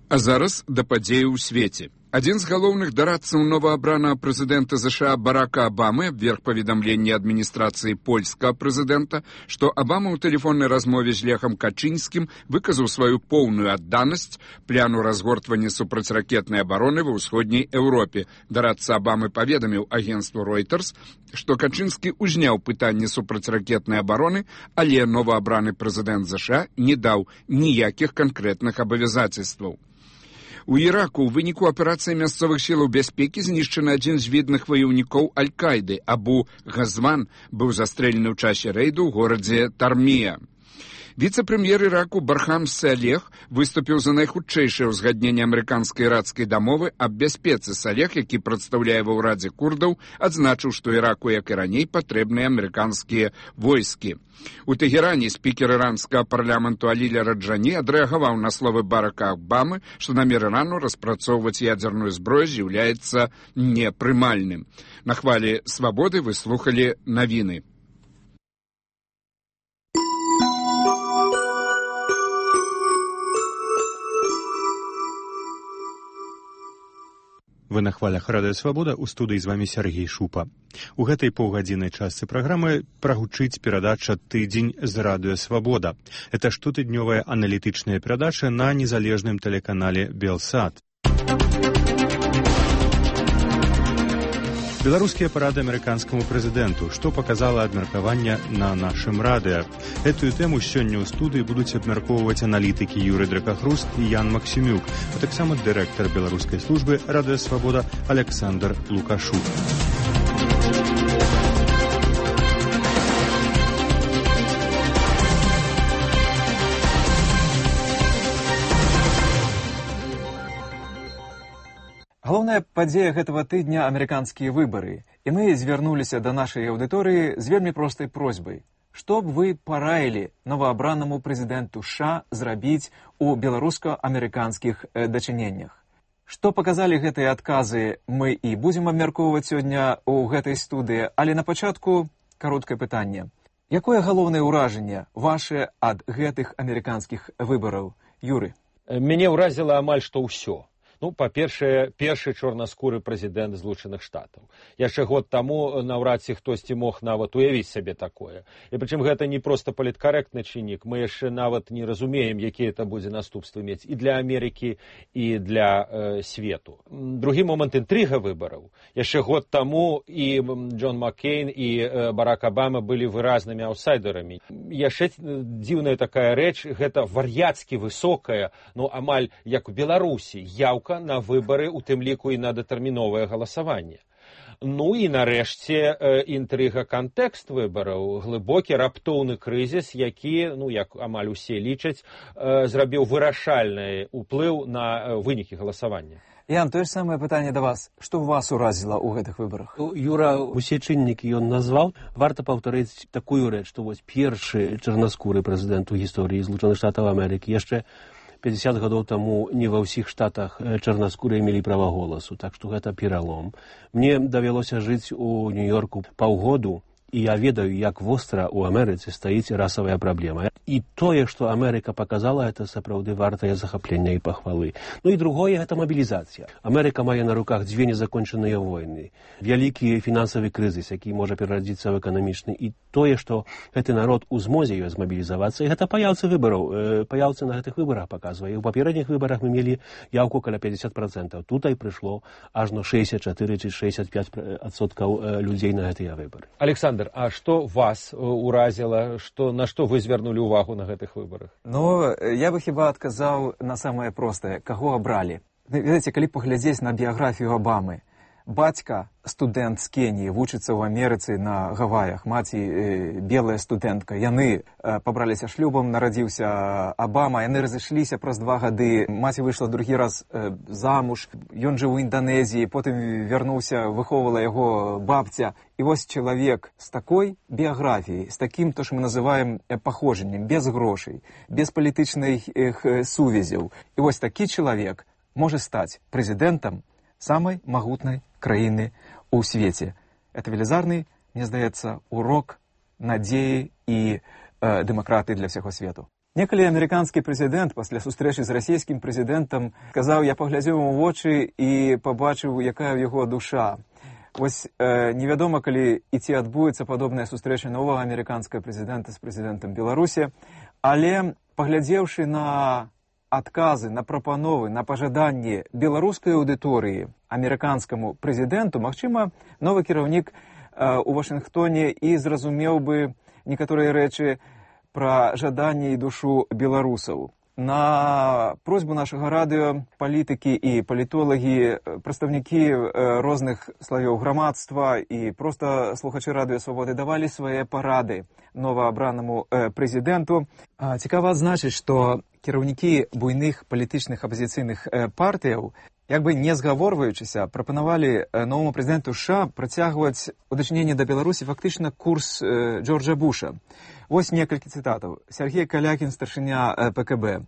А зараз да падзеі ў свеце. Адзін з галоўных дарадцаў новаабранага прэзідэнта ЗША Барака Абамы абверг паведамленне адміністрацыі польскага прэзідэнта, што Абама ў тэлефоннай размове з Лехам Качынскім выказаў сваю поўную адданасць пляну разгортвання супрацьракетнай абароны ва ўсходняй Еўропе. Дарадца Абамы паведаміў агенцтву Reuters, што Качынскі ўзняў пытанне супрацьракетнай абароны, але новаабраны прэзідэнт ЗША не даў ніякіх канкрэтных абавязацельстваў. У Іраку ў выніку аперацыі мясцовых сілаў бяспекі знішчаны адзін з відных ваяўнікоў Аль-Кайды. Абу Газван быў застрэлены ў часе рэйду ў горадзе Тармія. Віцэ-прэм'ер Іраку Бархам Салех выступіў за найхутчэйшае ўзгадненне амерыканска-іракскай дамовы аб бяспецы. Салех, які прадстаўляе ва ўрадзе курдаў, адзначыў, што Іраку, як і раней, патрэбныя амерыканскія войскі. У Тэгеране спікер іранскага парламенту Аліля Раджані адрэагаваў на словы Барака Абамы, што намер Ірану распрацоўваць ядзерную зброю з'яўляецца непрымальным. На хвалі свабоды вы слухалі навіны. Вы на хвалях радыё Свабода, у студыі з вамі Сергей Шупа. У гэтай паўгадзіннай частцы праграмы прагучыць перадача «Тыдзень з радыё Свабода». Это штотыднёвая аналітычная перадача на незалежным тэлеканале «Белсат». Беларускія парады амерыканскаму прэзідэнту, што паказала абмеркаванне на нашым радыё. Гэтую тэму сёння ў студыі будуць абмяркоўваць аналітыкі Юрый Дракахруст і Ян Максімюк, а таксама дырэктар беларускай службы радыё Свабода Александр Лукашук. Галоўная падзея гэтага тыдня – амерыканскія выбары. І мы звярнуліся да нашай аўдыторыі з вельмі простай просьбай. Што б вы параілі новаабранаму прэзідэнту США зрабіць у беларуска-амерыканскіх дачыненнях? Што паказалі гэтыя адказы, мы і будзем абмяркоўваць сёння ў гэтай студыі, але на пачатку кароткае пытанне. Якое галоўнае ўражанне ваше ад гэтых амерыканскіх выбараў? Юры. Мяне ўразіла амаль што ўсё. Ну, па-першае, першы чорнаскуры прэзідэнт Злучаных Штатаў. Яшчэ год таму наўрад ці хтосьці мог нават уявіць сабе такое. І прычым гэта не проста паліткарэктны чыннік, мы яшчэ нават не разумеем, якія это будзе наступствы мець і для Амерыкі, і для э, свету. Другі момант — інтрыга выбараў. Яшчэ год таму і Джон Маккейн, і э, Барак Абама былі выразнымі аўсайдерамі. Яшчэ дзіўная такая рэч, гэта вар'яцкі высокая, ну, амаль як у Беларусі, яўка на выбары, у тым ліку і на дэтэрміновае галасаванне. Ну і нарэшце інтрыга кантэкст выбараў, глыбокі раптоўны крызіс, які, ну як амаль усе лічаць, зрабіў вырашальны ўплыў на вынікі галасавання. Ян, тое ж самае пытанне да вас. Што вас уразіла ў гэтых выбарах? Юра, усе чыннікі ён назваў. Варта паўтарыць такую рэч, што вось першы чарнаскуры прэзідэнт у гісторыі Злучаных Штатаў Амерыкі яшчэ пятьдесят гадоў таму не ва ўсіх штатах чарнаскурыя мелі права голасу, так што гэта пералом. Мне давялося жыць у Нью-Йорку паўгоду, і я ведаю, як востра ў Амерыцы стаіць расавая праблема. І тое, што Амерыка паказала, это сапраўды вартае захаплення і пахвалы. Ну і другое — гэта мабілізацыя. Амерыка мае на руках дзве незакончаныя войны, вялікі фінансавы крызіс, які можа перарадзіцца ў эканамічны, і тое, што гэты народ у змозе ёй змабілізавацца, і гэта паяўцы выбараў. Паяўцы на гэтых выбарах паказвае. У папередніх выбарах мы мелі яўку каля пятьдесят процентов. Тутай прыйшло ажно шэсцьдзесят чатыры ці шэсцьдесят пять адсоткаў людзей на гэтыя выбары. Александр, а што вас уразіла, што, на што вы звярнулі ўвагу на гэтых выбарах? Ну, я бы хіба адказаў на самае простае. Каго абралі? Ведаеце, калі паглядзець на біяграфію Абамы, бацька студэнт з Кеніі, вучыцца ў Амерыцы на Гаваях, маці э, белая студэнтка. Яны э, пабраліся шлюбам, нарадзіўся Абама, яны разышліся праз два гады, маці выйшла другі раз э, замуж, ён жыў у Інданезіі, потым вярнуўся, выхоўвала яго бабця. І вось чалавек з такой біяграфіяй, з такім, то, што мы называем паходжаннем, без грошай, без палітычных э, сувязяў. І вось такі чалавек можа стаць прэзідэнтам самай магутнай краіны ў свеце. Это велізарны, мне здаецца, урок надзеі і э, дэмакратыі для ўсяго свету. Некалі амерыканскі прэзідэнт пасля сустрэчы з расійскім прэзідэнтам сказаў: я паглядзеў у вочы і пабачыў, якая ў яго душа. Вось э, невядома, калі і ці адбудзецца падобная сустрэча новага амерыканскага прэзідэнта з прэзідэнтам Беларусі, але паглядзеўшы на адказы, на прапановы, на пажаданні беларускай аўдыторыі амерыканскаму прэзідэнту, магчыма, новы кіраўнік э, у Вашынгтоне і зразумеў бы некаторыя рэчы пра жаданне і душу беларусаў. На просьбу нашага радыё палітыкі і палітолагі, прадстаўнікі розных слаёў грамадства і проста слухачы радыё Свабоды давалі свае парады новаабранаму прэзідэнту. Цікава адзначыць, што кіраўнікі буйных палітычных апазіцыйных партыяў, як бы не згаворваючыся, прапанавалі новаму прэзідэнту США працягваць у дачыненні да Беларусі фактычна курс Джорджа Буша. Вось некалькі цытатаў. Сергей Калякін, старшыня ПКБ.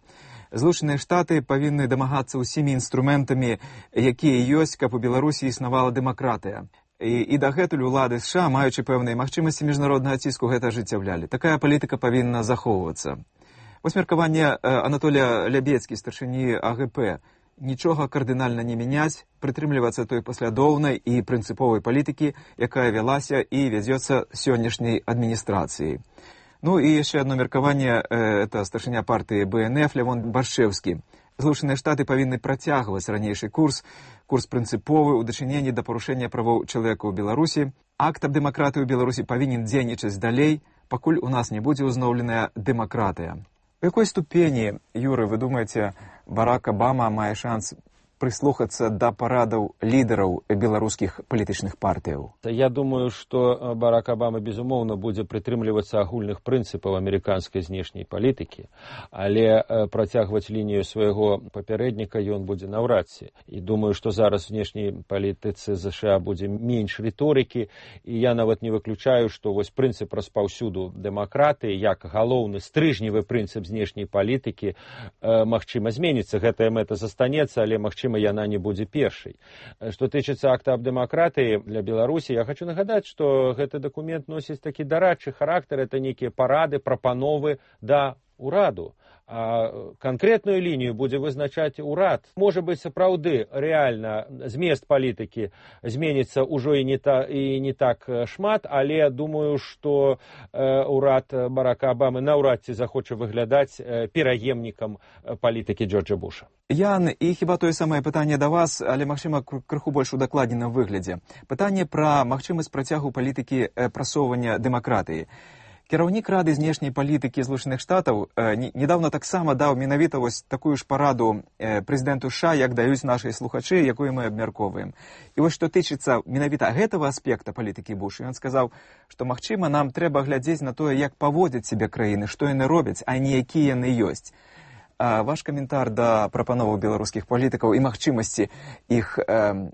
Злучаныя Штаты павінны дамагацца ўсімі інструментамі, якія ёсць, каб у Беларусі існавала дэмакратыя. І, і дагэтуль улады США, маючы пэўныя магчымасці міжнароднага ціску, гэта ажыццяўлялі. Такая палітыка павінна захоўвацца. Вось меркаванне Анатолія Лябецкі, старшыні АГП. Нічога кардынальна не мяняць, прытрымлівацца той паслядоўнай і прынцыповай палітыкі, якая вялася і вядзецца сённяшняй адміністрацыяй. Ну і яшчэ одно меркаванне, это старшыня партыі БНФ Лявон Баршэўскі. Злучаныя Штаты павінны працягваць ранейшы курс, курс прынцыповы ў дачыненні да парушэння правоў чалавека ў Беларусі. Акт аб дэмакратыі ў Беларусі павінен дзейнічаць далей, пакуль у нас не будзе ўзноўленая дэмакратыя. У якой ступені, Юры, вы думаеце, Барак Абама мае шанс прыслухацца да парадаў лідараў беларускіх палітычных партыяў? Я думаю, што Барак Абама, безумоўна, будзе прытрымлівацца агульных прынцыпаў амерыканскай знешняй палітыкі, але працягваць лінію свайго папярэдніка ён будзе наўрад ці. І думаю, што зараз у знешняй палітыцы ЗША будзе менш рыторыкі, і я нават не выключаю, што вось прынцып распаўсюду дэмакратыі, як галоўны стрыжневы прынцып знешняй палітыкі, магчыма, зменіцца. Гэтая мэта застанецца, але магчыма магчыма, яна не будзе першай. Што тычыцца акта аб дэмакратыі для Беларусі, я хочу нагадаць, што гэты дакумент носіць такі дарадчы характар, это нейкія парады, прапановы да ўраду. А канкрэтную лінію будзе вызначаць урад. Можа быць, сапраўды, рэальна змест палітыкі зменіцца ўжо і не, та, і не так шмат, але думаю, што э, урад Барака Абамы наўрад ці захоча выглядаць э, пераемнікам палітыкі Джорджа Буша. Ян, і хіба тое самае пытанне да вас, але, магчыма, крыху больш удакладненым выглядзе. Пытанне пра магчымасць працягу палітыкі э, прасоўвання дэмакратыі. Кіраўнік Рады знешняй палітыкі Злучаных Штатаў э, недавно таксама даў менавіта вось такую ж параду э, прэзідэнту США, як даюць нашыя слухачы, якую мы абмяркоўваем. І вось што тычыцца менавіта гэтага аспекта палітыкі Буша, ён сказаў, што магчыма нам трэба глядзець на тое, як паводзяць сябе краіны, што яны робяць, а не якія яны ёсць. А ваш каментар да прапановаў беларускіх палітыкаў і магчымасці іх э,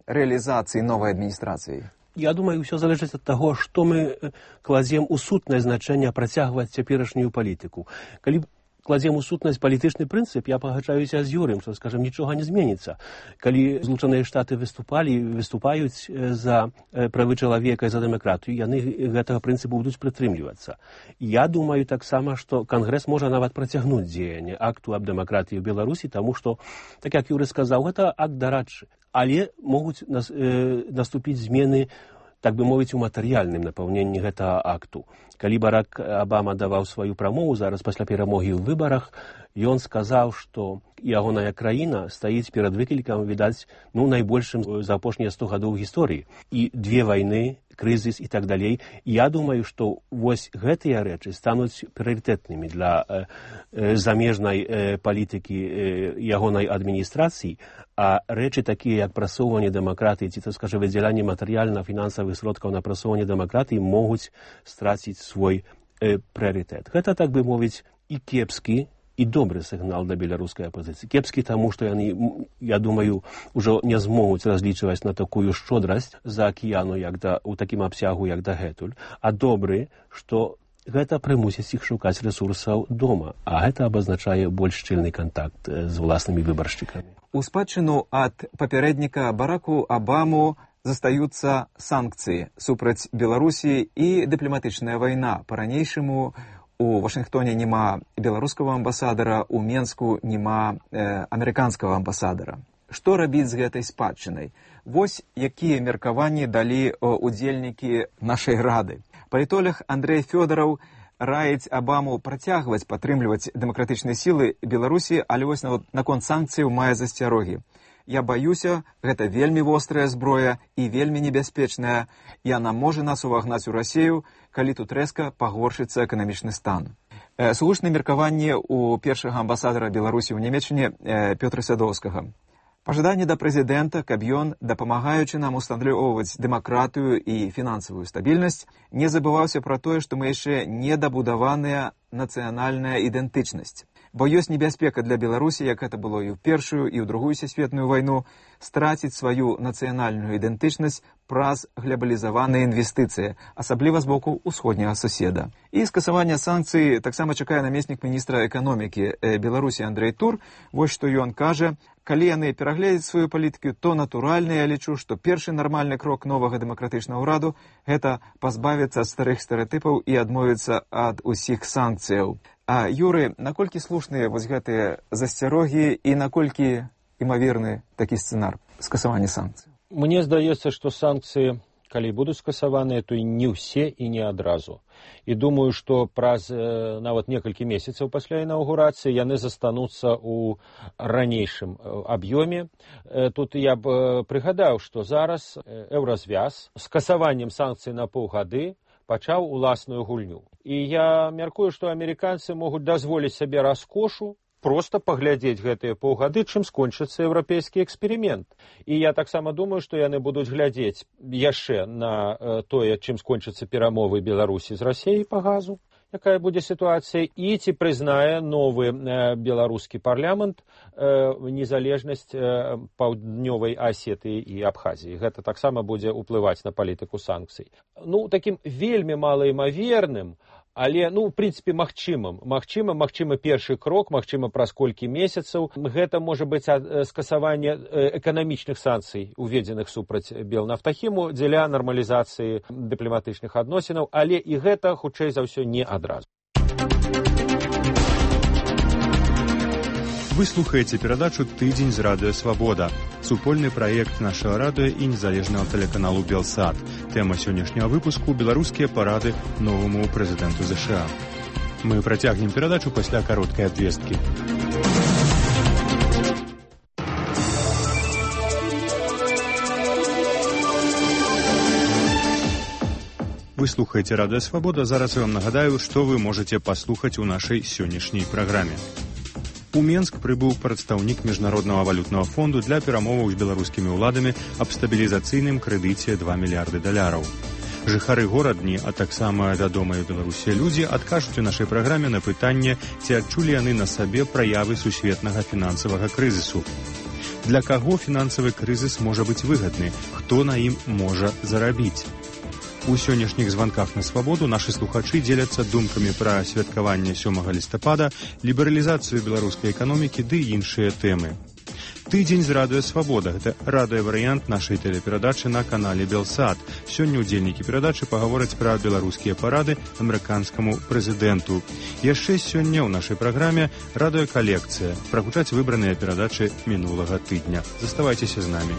рэалізацыі новай адміністрацыі. Я думаю, ўсё залежыць ад таго, што мы кладзем у сутнае значэнне працягваць цяперашнюю палітыку. Калі кладзем у сутнасць палітычны прынцып, я пагаджаюся з Юрыем, што, скажем, нічога не зменіцца. Калі Злучаныя Штаты выступалі, выступаюць за правы чалавека і за дэмакратыю, яны гэтага прынцыпу будуць прытрымлівацца. Я думаю таксама, што Кангрэс можа нават працягнуць дзеянне акту аб дэмакратыі ў Беларусі, таму што, так як Юры сказаў, гэта акт дарадчы. Але могуць нас, э, наступіць змены, так бы мовіць, у матэрыяльным напаўненні гэтага акту. Калі Барак Абама даваў сваю прамову зараз пасля перамогі ў выбарах, ён сказаў, што ягоная краіна стаіць перад выклікам, відаць, ну, найбольшым за апошнія сто гадоў гісторыі. І две вайны, крызіс і так далей. Я думаю, што вось гэтыя рэчы стануць прыярытэтнымі для э, э, замежнай э, палітыкі э, ягонай адміністрацыі, а рэчы такія, як прасоўванне дэмакратыі, ці, то скажа, выдзяленне матэрыяльна-фінансавых сродкаў на прасоўванне дэмакратыі могуць страціць свой э, прыярытэт. Гэта, так бы мовіць, і кепскі, і добры сігнал да беларускай апозіцыі. Кепскі таму, што яны, я думаю, ужо не змогуць разлічваць на такую шчодрасць за акіяну, як да, у такім абсягу, як дагэтуль, а добры, што гэта прымусіць іх шукаць рэсурсаў дома, а гэта абазначае больш шчыльны кантакт з уласнымі выбаршчыкамі. У спадчыну ад папярэдніка Бараку Абаму застаюцца санкцыі супраць Беларусі і дыпламатычная вайна. Па-ранейшаму у Вашынгтоне няма беларускага амбасадара, у Менску няма э, амерыканскага амбасадара. Што рабіць з гэтай спадчынай? Вось якія меркаванні далі удзельнікі нашай рады. Палітолог Андрэй Фёдараў раіць Абаму працягваць падтрымліваць дэмакратычныя сілы Беларусі, але вось наконт санкцыяў мае засцярогі. Я баюся, гэта вельмі вострая зброя і вельмі небяспечная. Яна можа нас увагнаць у Расію, калі тут рэзка пагоршыцца эканамічны стан. Э, Слушнае меркаванне у першага амбасадара Беларусі ў Нямецчыне э, Пётра Сядоўскага. Пажаданне да прэзідэнта, каб ён, дапамагаючы нам устандлёўваць дэмакратыю і фінансавую стабільнасць, не забываўся пра тое, што мы яшчэ недабудаваная нацыянальная ідэнтычнасць. Бо ёсць небяспека для Беларусі, як гэта было і ў першую, і ў другую сусветную вайну, страціць сваю нацыянальную ідэнтычнасць праз глобалізаваныя інвестыцыі, асабліва з боку ўсходняга суседа. І скасаванне санкцый таксама чакае намеснік міністра эканомікі Беларусі Андрэй Тур. Вось што ён кажа: калі яны перагледзяць сваю палітыку, то натуральна я лічу, што першы нармальны крок новага дэмакратычнага ўраду – гэта пазбавіцца ад старых стэрэатыпаў і адмовіцца ад усіх санкцыяў. А, Юры, наколькі слушныя вось гэтыя засцярогі і наколькі імаверны такі сцэнар скасавання санкцый? Мне здаецца, што санкцыі, калі будуць скасаваныя, то і не ўсе і не адразу. І думаю, што праз э, нават некалькі месяцаў пасля інаўгурацыі яны застануцца ў ранейшым аб'ёме. Э, тут я б э, прыгадаў, што зараз еўразвяз скасаваннем санкцый на паўгады пачаў уласную гульню. І я мяркую, што амерыканцы могуць дазволіць сабе раскошу проста паглядзець гэтыя паўгады, чым скончыцца еўрапейскі эксперымент. І я таксама думаю, што яны будуць глядзець яшчэ на э, тое, чым скончыцца перамовы Беларусі з Расіяй па газу, якая будзе сітуацыя, і ці прызнае новы э, беларускі парламент э, незалежнасць э, паўднёвай Асетыі і Абхазіі. Гэта таксама будзе ўплываць на палітыку санкцый. Ну, такім вельмі малаімаверным, Але, ну, в прынцыпе, магчымым. Магчыма, магчыма першы крок, магчыма праз колькі месяцаў. Гэта можа быць скасаванне эканамічных санкцый, уведзеных супраць Белнафтахіму дзеля нармалізацыі дыпламатычных адносінаў, але і гэта, хутчэй за ўсё, не адразу. Вы слухаеце перадачу «Тыдзень з радыё Свабода», супольны праект нашага радыё і незалежнага тэлеканалу «Белсат». Тэма сённяшняга выпуску – беларускія парады новаму прэзідэнту ЗША. Мы працягнем перадачу пасля кароткай абвесткі. Вы слухаеце радыё Свабода. Зараз я вам нагадаю, што вы можаце паслухаць у нашай сённяшняй праграме. У Менск прыбыў прадстаўнік міжнароднага валютнага фонду для перамоваў з беларускімі ўладамі аб стабілізацыйным крэдыце два мільярды даляраў. Жыхары горадні, а таксама вядомыя Беларусі людзі адкажуць у нашай праграме на пытанне, ці адчулі яны на сабе праявы сусветнага фінансавага крызісу. Для каго фінансавы крызіс можа быць выгадны, хто на ім можа зарабіць? У сённяшніх званках на свабоду нашы слухачы дзеляцца думкамі пра святкаванне сёмага лістапада, лібералізацыю беларускай эканомікі ды іншыя тэмы. Тыдзень з радыё Свабода – гэта радыёварыянт нашай тэлеперадачы на канале Белсат. Сёння ўдзельнікі перадачы пагавораць пра беларускія парады амерыканскаму прэзідэнту. Яшчэ сёння ў нашай праграме радыёкалекцыя. Прагучаць выбраныя перадачы мінулага тыдня. Заставайцеся з намі.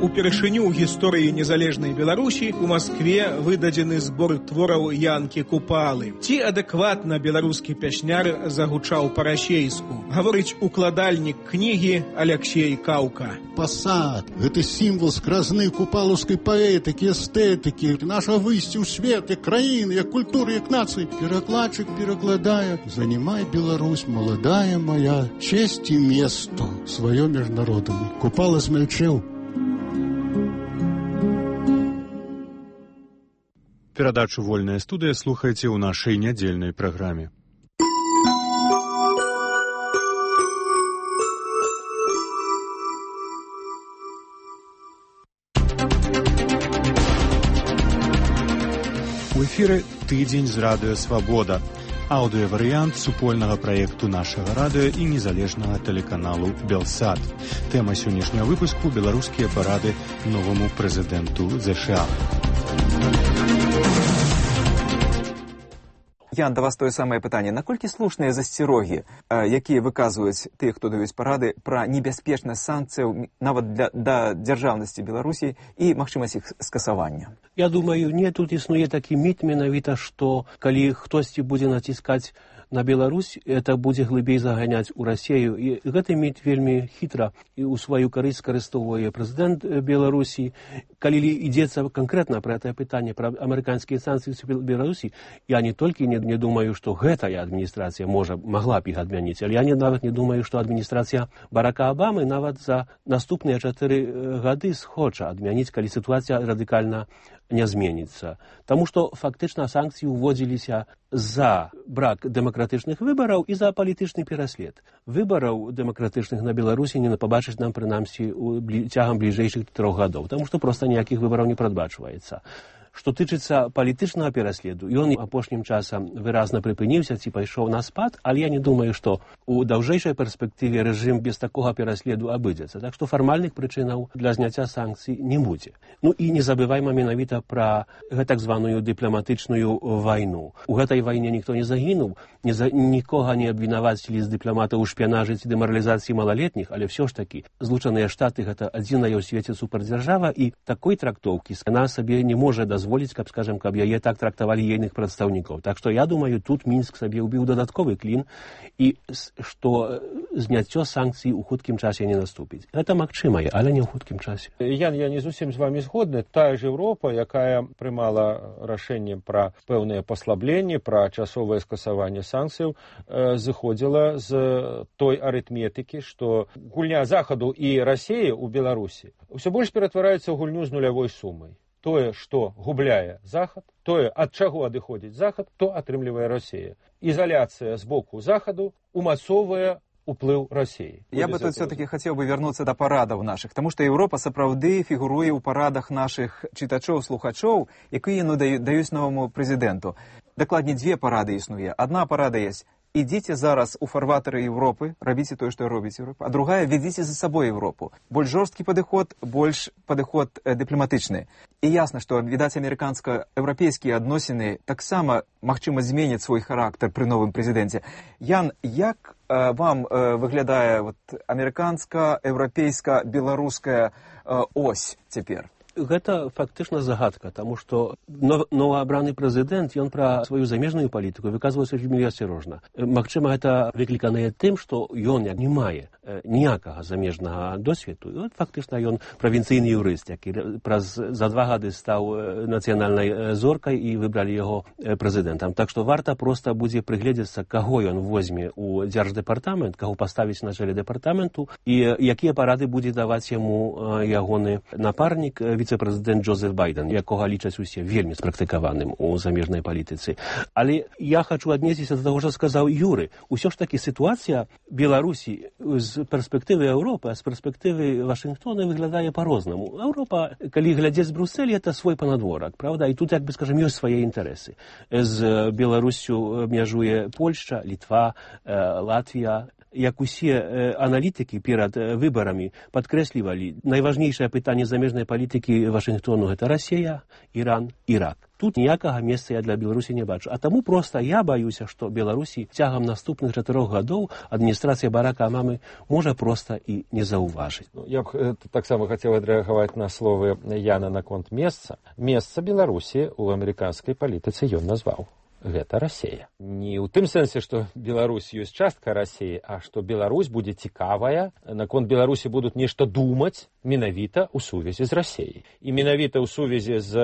Упершыню ў гісторыі незалежнай Беларусі у Маскве выдадзены збор твораў Янкі Купалы. Ці адэкватна беларускі пясняр загучаў па-расейску, гаворыць укладальнік кнігі Аляксей Каўка. Пасад – гэта сімвал скразны купалаўскай паэтыкі, эстэтыкі, наша выйсце ў свет, як краіны, як культуры, як нацыі. Перакладчык перакладае: «Занимай, Беларусь, маладая моя, честь і место сваё міжнароднае». Купала змялчэў. Перадачу «Вольная студыя» слухайце ў нашай нядзельнай праграме. У эфіры «Тыдзень з радыё Свабода». Аўдыёварыянт супольнага праекту нашага радыё і незалежнага тэлеканалу «Белсат». Тэма сённяшняга выпуску – беларускія парады новаму прэзідэнту ЗША. Ян, да вас тое самае пытанне. Наколькі слушныя засцерогі, якія выказваюць тыя, хто даюць парады, пра небяспечнасць санкцыяў нават для, да дзяржаўнасці Беларусі і магчымасць іх скасавання? Я думаю, не, тут існуе такі міт менавіта, што калі хтосьці будзе націскаць на Беларусь, это будзе глыбей заганяць у Расею. І гэты міт вельмі хітра і ў сваю карысць скарыстоўвае прэзідэнт Беларусі. Калі ідзецца канкрэтна пра гэтае пытанне, пра амерыканскія санкцыі ў Беларусі, я не толькі не, не думаю, што гэтая адміністрацыя можа, магла б іх адмяніць, але я не, нават не думаю, што адміністрацыя Барака Абамы нават за наступныя чатыры гады схоча адмяніць, калі сітуацыя радыкальна не зменіцца. Таму што фактычна санкцыі ўводзіліся за брак дэмакратычных выбараў і за палітычны пераслед. Выбараў дэмакратычных на Беларусі не пабачыць нам, прынамсі, цягам бліжэйшых трох гадоў, таму што проста ніякіх выбараў не прадбачваецца. Што тычыцца палітычнага пераследу, ён апошнім часам выразна прыпыніўся ці пайшоў на спад, але я не думаю, што ў даўжэйшай перспектыве рэжым без такога пераследу абыдзецца. Так што фармальных прычынаў для зняцця санкцый не будзе. Ну і не забывайма менавіта пра гэтак званую дыпламатычную вайну. У гэтай вайне ніхто не загінуў, не за... нікога не абвінавацілі з дыпламатаў у шпіянажы ці дэмаралізацыі малалетніх, але ўсё ж такі Злучаныя Штаты гэта адзіная ў свеце супердзяржава, і такой трактоўкі яна сабе не можа дазволіць, каб, скажем, каб яе так трактавалі ейных прадстаўнікаў. Так што я думаю, тут Мінск сабе ўбіў дадатковы клін, і што зняццё санкцый у хуткім часе не наступіць. Гэта магчымае, але не ў хуткім часе. Ян, я не зусім з вами згодны. Тая ж Еўропа, якая прымала рашэнне пра пэўныя паслабленні, пра часовае скасаванне санкцыяў, зыходзіла з той арытметыкі, што гульня Захаду і Расеі ў Беларусі ўсё больш ператвараецца ў гульню з нулявой сумай. Тое, што губляе Захад, тое, ад чаго адыходзіць Захад, то атрымлівае Расея. Ізаляцыя з боку Захаду умацоўвае уплыў России. Я бы тут все-таки хотел бы вернуться до парадов наших, потому что Европа сапраўды фигуруе ў парадах наших читачоў, слухачоў, якія ну, даюць новому президенту. Дакладней, две парады існуе. Одна парада есть: ідзіце зараз у фарватары Европы, рабіце тое, што робіць Европа, а другая — ведзіце за сабой Европу. Больш жорсткі падыход, больш падыход э, дыпламатычны. І ясна, што, відаць, амерыканска-еўрапейскія адносіны таксама, магчыма, зменяць свой характар пры новым прэзідэнце. Ян, як э, вам э, выглядае вот, амерыканска-еўрапейска-беларуская э, ось цяпер? Гэта фактычна загадка, таму што новаабраны прэзідэнт, ён пра сваю замежную палітыку выказваецца вельмі асцярожна. Магчыма, гэта выкліканае тым, што ён не мае ніякага замежнага досведу. І от фактычна ён правінцыйны юрыст, які праз за два гады стаў нацыянальнай зоркай і выбралі яго прэзідэнтам. Так што варта проста будзе прыгледзецца, каго ён возьме ў дзярждэпартамент, каго паставіць на чале дэпартаменту і якія парады будзе даваць яму ягоны напарнік, віцэ-прэзідэнт Джозеф Байден, якога лічаць усе вельмі спрактыкаваным у замежнай палітыцы. Але я хачу аднесціся да таго, што сказаў Юры. Усё ж такі сітуацыя Беларусі з перспектывы Еўропы, а з перспектывы Вашынгтона выглядае па-рознаму. Еўропа, калі глядзець з Брусселі, это свой панадворак, правда? І тут, як бы скажем, ёсць свае інтарэсы. З Беларуссю мяжуе Польшча, Літва, Латвія. Як усе аналітыкі перад выбарамі падкрэслівалі, найважнейшае пытанне замежнай палітыкі Вашынгтону — гэта Расія, Іран, Ірак. Тут ніякага месца я для Беларусі не бачу. А таму проста я баюся, што Беларусі цягам наступных чатырох гадоў адміністрацыя Барака Абамы можа проста і не заўважыць. Ну, я б таксама хацеў адрэагаваць на словы Яна наконт месца. Месца Беларусі ў амерыканскай палітыцы ён назваў. Гэта Расія. Не ў тым сэнсе, што Беларусь ёсць частка Расіі, а што Беларусь будзе цікавая, наконт Беларусі будуць нешта думаць менавіта ў сувязі з Расіяй. І менавіта ў сувязі з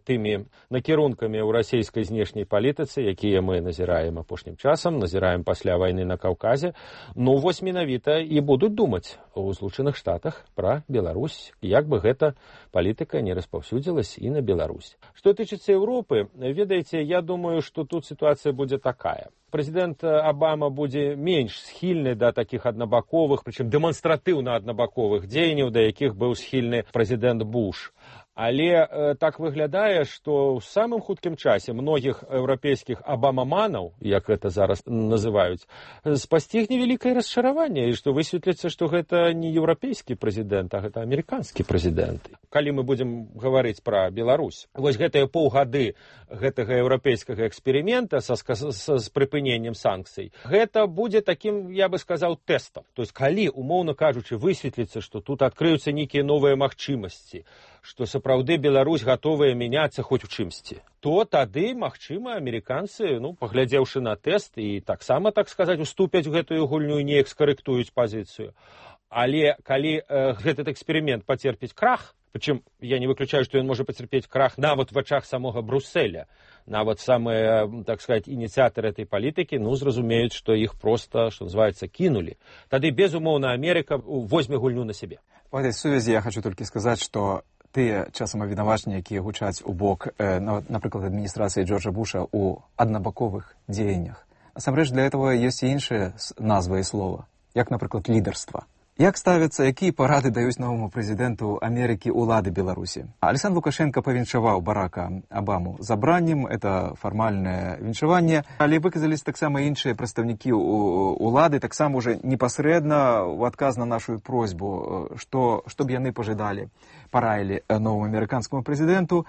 тымі накірункамі ў расійскай знешняй палітыцы, якія мы назіраем апошнім часам, назіраем пасля вайны на Каўказе, ну вось менавіта і будуць думаць у Злучаных Штатах пра Беларусь, як бы гэта палітыка не распаўсюдзілась і на Беларусь. Што тычыцца Еўропы, ведаеце, я думаю, што тут ситуация будет такая. Президент Обама будет меньше схильный до таких однобоковых, причем демонстративно однобоковых дзеянняў, до якіх был схильны президент Буш. Але э, так выглядае, што ў самым хуткім часе многіх еўрапейскіх абамаманаў, як гэта зараз называюць, спасцігне вялікае расчараванне, і што высветліцца, што гэта не еўрапейскі прэзідэнт, а гэта амерыканскі прэзідэнт. Калі мы будзем гаварыць пра Беларусь, вось гэтыя паўгады гэтага еўрапейскага эксперымента са, са, з прыпыненнем санкцый, гэта будзе такім, я бы сказаў, тэстам. То есть, калі, умоўна кажучы, высветліцца, што тут адкрыюцца нейкія новыя магчымасці, што сапраўды Беларусь гатовая мяняцца хоць у чымсьці, то тады, магчыма, амерыканцы, ну, паглядзеўшы на тэст і таксама, так сказаць, уступяць гэтую гульню і неяк скарэктуюць пазіцыю. Але калі э, гэты эксперымент пацерпіць крах, причем я не выключаю, что он может потерпеть крах нават в вачах самого Брусселя. Нават самые, так сказать, инициаторы этой политики, ну, зразумеюць, что их просто, что называется, кинули. Тады, безумоўна, Америка возьме гульню на себе. В этой связи я хочу только сказать, что тыя часам абвінавачанні, якія гучаць у бок, э, напрыклад, адміністрацыі Джорджа Буша ў аднабаковых дзеяннях. Насамрэч, для этого ёсць і іншыя назвы і слова, як, напрыклад, лідарства. Як ставяцца, якія парады даюць новому прэзідэнту Амерыкі ўлады Беларусі? Александр Лукашенко павіншаваў Барака Абаму забраннем, это фармальнае віншаванне, але выказались таксама іншыя прадстаўнікі улады, таксама уже непасрэдна ў адказ на нашу просьбу, што, што б яны пажадалі, параілі новому амерыканскому прэзідэнту.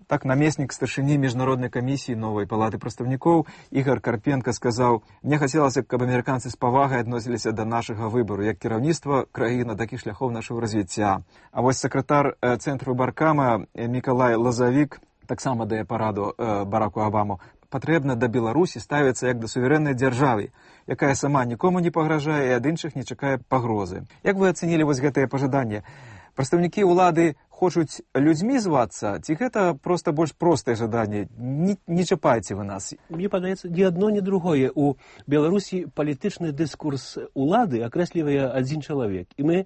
Так, намеснік старшыні міжнароднай камісіі новай палаты прадстаўнікоў Ігор Карпенко сказаў: «Мне хацелася, каб амерыканцы з павагай адносіліся да нашага выбару, як кіраўніцтва краіны, так і шляхоў нашага развіцця». А вось сакратар цэнтру Баркама Мікалай Лазавік таксама дае параду Бараку Абаму: «Патрэбна да Беларусі ставіцца як да суверэннай дзяржавы, якая сама нікому не пагражае і ад іншых не чакае пагрозы». Як вы ацэнілі вось гэтае пажаданне? Прадстаўнікі ўлады хочуць людзьмі звацца, ці гэта проста больш простае жаданне? Не, не чапайце вы нас. Мне падаецца, ні адно, ні другое. У Беларусі палітычны дыскурс улады акрэслівае адзін чалавек. І мы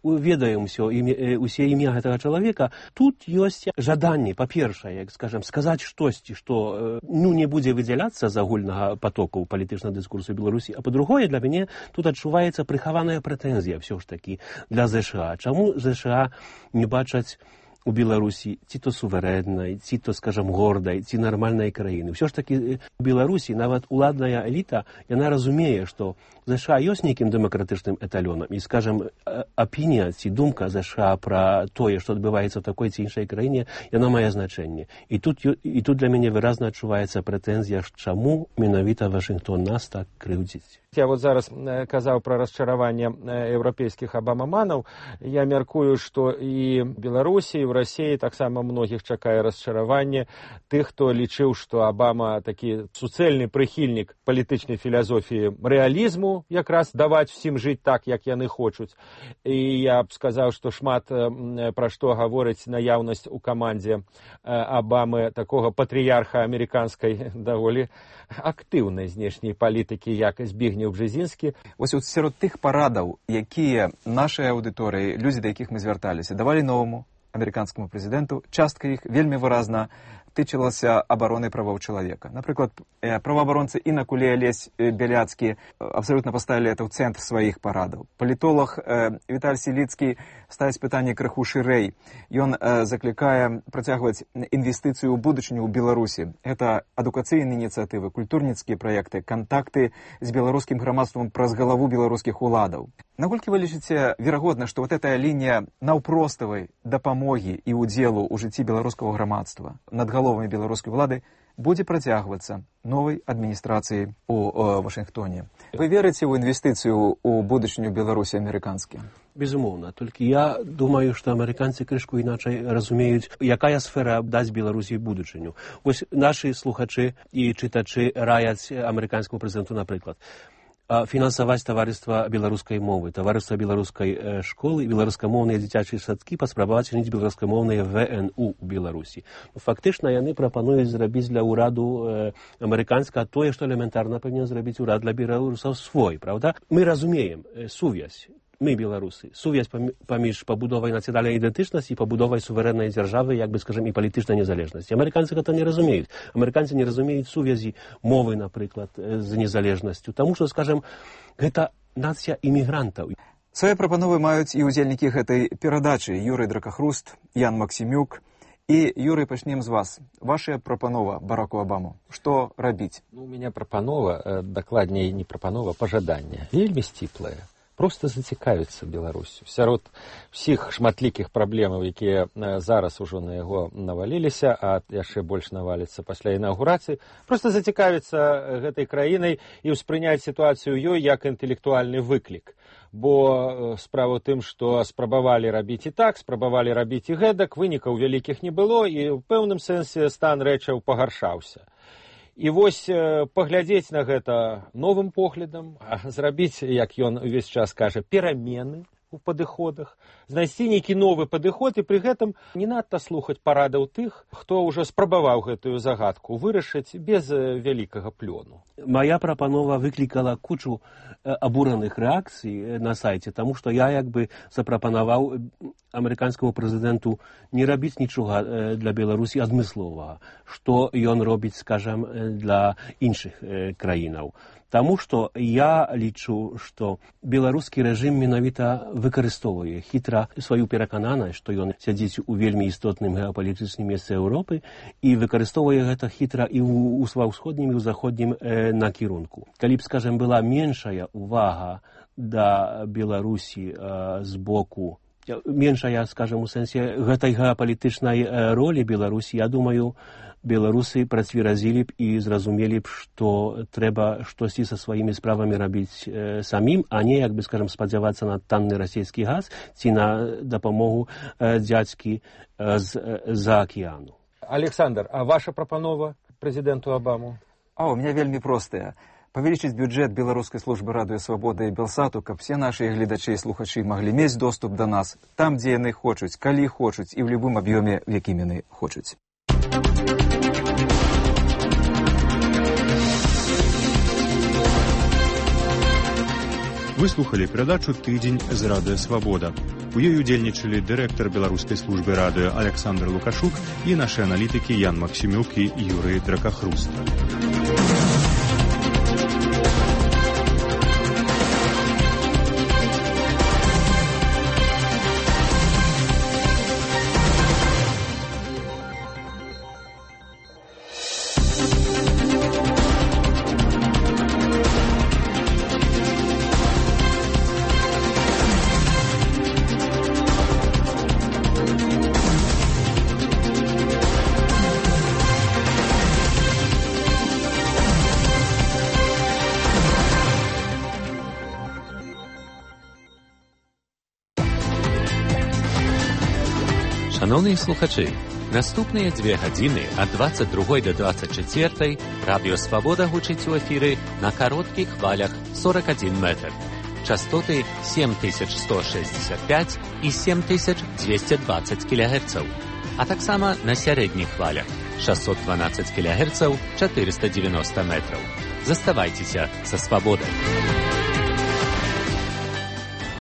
ведаем ўсё, усе імя гэтага чалавека. Тут ёсць жаданне, па-першае, як скажем, сказаць штосьці, што ну, не будзе выдзяляцца з агульнага потоку палітычнага дыскурсу Беларусі. А па-другое, для мяне тут адчуваецца прыхаваная прэтэнзія ўсё ж такі для ЗША. Чаму ЗША не бачаць у Беларусі ці то суверэннай, ці то, скажам, гордай, ці нармальнай краіны. Ўсё ж такі у Беларусі нават уладная эліта, яна разумее, што ЗША ёсць нейкім дэмакратычным эталёнам. І, скажам, апінія ці думка ЗША пра тое, што адбываецца ў такой ці іншай краіне, яна мае значэнне. І тут, і тут для мяне выразна адчуваецца прэтэнзія, чаму менавіта Вашынгтон нас так крыўдзіць. Я вот зараз казаў пра расчараванне еўрапейскіх абамаманаў. Я мяркую, што і Беларусі, і ў Расіі таксама многіх чакае расчараванне тых, хто лічыў, што Абама такі суцэльны прыхільнік палітычнай філасофіі рэалізму, якраз даваць усім жыць так, як яны хочуць. І я б сказаў, што шмат пра што гаворыць наяўнасць у камандзе Абамы такога патрыярха амерыканскай даволі актыўнай знешняй палітыкі, як Збігнеў Бжезінскі. Вось сярод тых парадаў, якія нашай аўдыторыі, людзі, да якіх мы звярталіся, давалі новаму амерыканскаму прэзідэнту, частка іх вельмі выразна тычылася абароны правоў чалавека. Напрыклад, праваабаронцы Інакуле Алесь Бяляцкі абсалютна паставілі это ў цэнтр сваіх парадаў. Палітолог Віталь Селіцкі ставіць пытанне крыху шырэй. Ён заклікае працягваць інвестыцыю ў будучыню ў Беларусі. Гэта адукацыйныя ініцыятывы, культурніцкія праекты, кантакты з беларускім грамадствам праз галаву беларускіх уладаў. Наколькі вы лічыце верагодна, што вот эта лінія наўпроставай дапамогі і ўдзелу ў жыцці беларускага грамадства над галовамі беларускай улады будзе працягвацца новай адміністрацыяй у Вашынгтоне? Вы верыце ў інвестыцыю ў будучыню Беларусі амерыканскі? Безумоўна. Толькі я думаю, што амерыканцы крышку іначай разумеюць, якая сфера даць Беларусі будучыню. Вось нашы слухачы і чытачы раяць амерыканскаму прэзідэнту, напрыклад, фінансаваць таварыства беларускай мовы, таварыства беларускай школы, беларускамоўныя дзіцячыя садкі, паспрабаваць чыніць беларускамоўныя вэ эн у ў Беларусі. Фактычна яны прапануюць зрабіць для ўраду амерыканска тое, што элементарна павінен зрабіць урад для беларусаў свой, правда? Мы разумеем сувязь. Мы, беларусы, сувязь паміж пабудовай нацыянальнай ідэнтычнасці і пабудовай суверэннай дзяржавы, як бы, скажем, і палітычнай незалежнасці. Амерыканцы гэта не разумеюць. Амерыканцы не разумеюць сувязі мовы, напрыклад, з незалежнасцю. Таму што, скажем, гэта нацыя імігрантаў. Свае прапановы маюць і ўдзельнікі гэтай перадачы. Юрый Дракахруст, Ян Максімюк. І, Юрый, пачнем з вас. Ваша прапанова Бараку Абаму. Што рабіць? Ну, у мяне прапанова, дакладней не прапанова, пажаданне. Вельмі сціплае. Просто зацікавіцца Беларусю. Сярод усіх шматлікіх праблемаў, якія зараз ужо на яго наваліліся, а яшчэ больш наваліцца пасля інаўгурацыі, просто зацікавіцца гэтай краінай і ўспрыняць сітуацыю ёй як інтэлектуальны выклік. Бо справа ў тым, што спрабавалі рабіць і так, спрабавалі рабіць і гэтак, вынікаў вялікіх не было, і ў пэўным сэнсе стан рэчаў пагаршаўся. І вось паглядзець на гэта новым поглядам, зрабіць, як ён увесь час кажа, перамены у падыходах, знайсці нейкі новы падыход і пры гэтым не надта слухаць парадаў тых, хто ўжо спрабаваў гэтую загадку вырашыць без вялікага плёну. Моя прапанова выклікала кучу абураных рэакцый на сайце, таму што я як бы запрапанаваў амерыканскаму прэзідэнту не рабіць нічога для Беларусі адмысловага, што ён робіць, скажам, для іншых краінаў. Таму што я лічу, што беларускі рэжым менавіта выкарыстоўвае хітра сваю перакананасць, што ён сядзіць у вельмі істотным геапалітычным месцы Еўропы і выкарыстоўвае гэта хітра і ў ва ўсходнім і ў заходнім э, накірунку. Калі б, скажем, была меншая увага да Беларусі э, з боку, меншая, скажем, у сэнсе гэтай геапалітычнай ролі Беларусі, я думаю, беларусы працверазілі б і зразумелі б, што трэба штосьці са сваімі справамі рабіць э, самім, а не, як бы, скажем, спадзявацца на танны расійскі газ ці на дапамогу э, дзядзькі э, з-за акіяну. Александр, а ваша прапанова прэзідэнту Абаму? А, у меня вельмі простая. павялічыць бюджэт беларускай службы радыё свабода і Белсату, каб все нашыя гледачы і слухачы маглі мець доступ да нас там, дзе яны хочуць, калі хочуць і ў любым аб'ёме, в якім яны хочуць. Вы слухали перадачу «Тыдзень з радыё Свабода». У ёй удзельнічалі дырэктар беларускай службы радыё Александр Лукашук і нашы аналітыкі Ян Максімюк і Юрый Дракахруста. Шановні слухачі, наступныя дзве гадзіны ад дваццаць другой да дваццаць чацвёртай радыё Свабода гучыць у эфіры на кароткіх хвалях сорок адзін метр. Частоты сем тысяч сто шэсцьдзесят пяць і сем тысяч дзвесце дваццаць кілагерцаў, а таксама на сярэдніх хвалях шэсцьсот дванаццаць кілагерцаў, чатырыста дзевяноста метраў. Заставайцеся са Свабодай.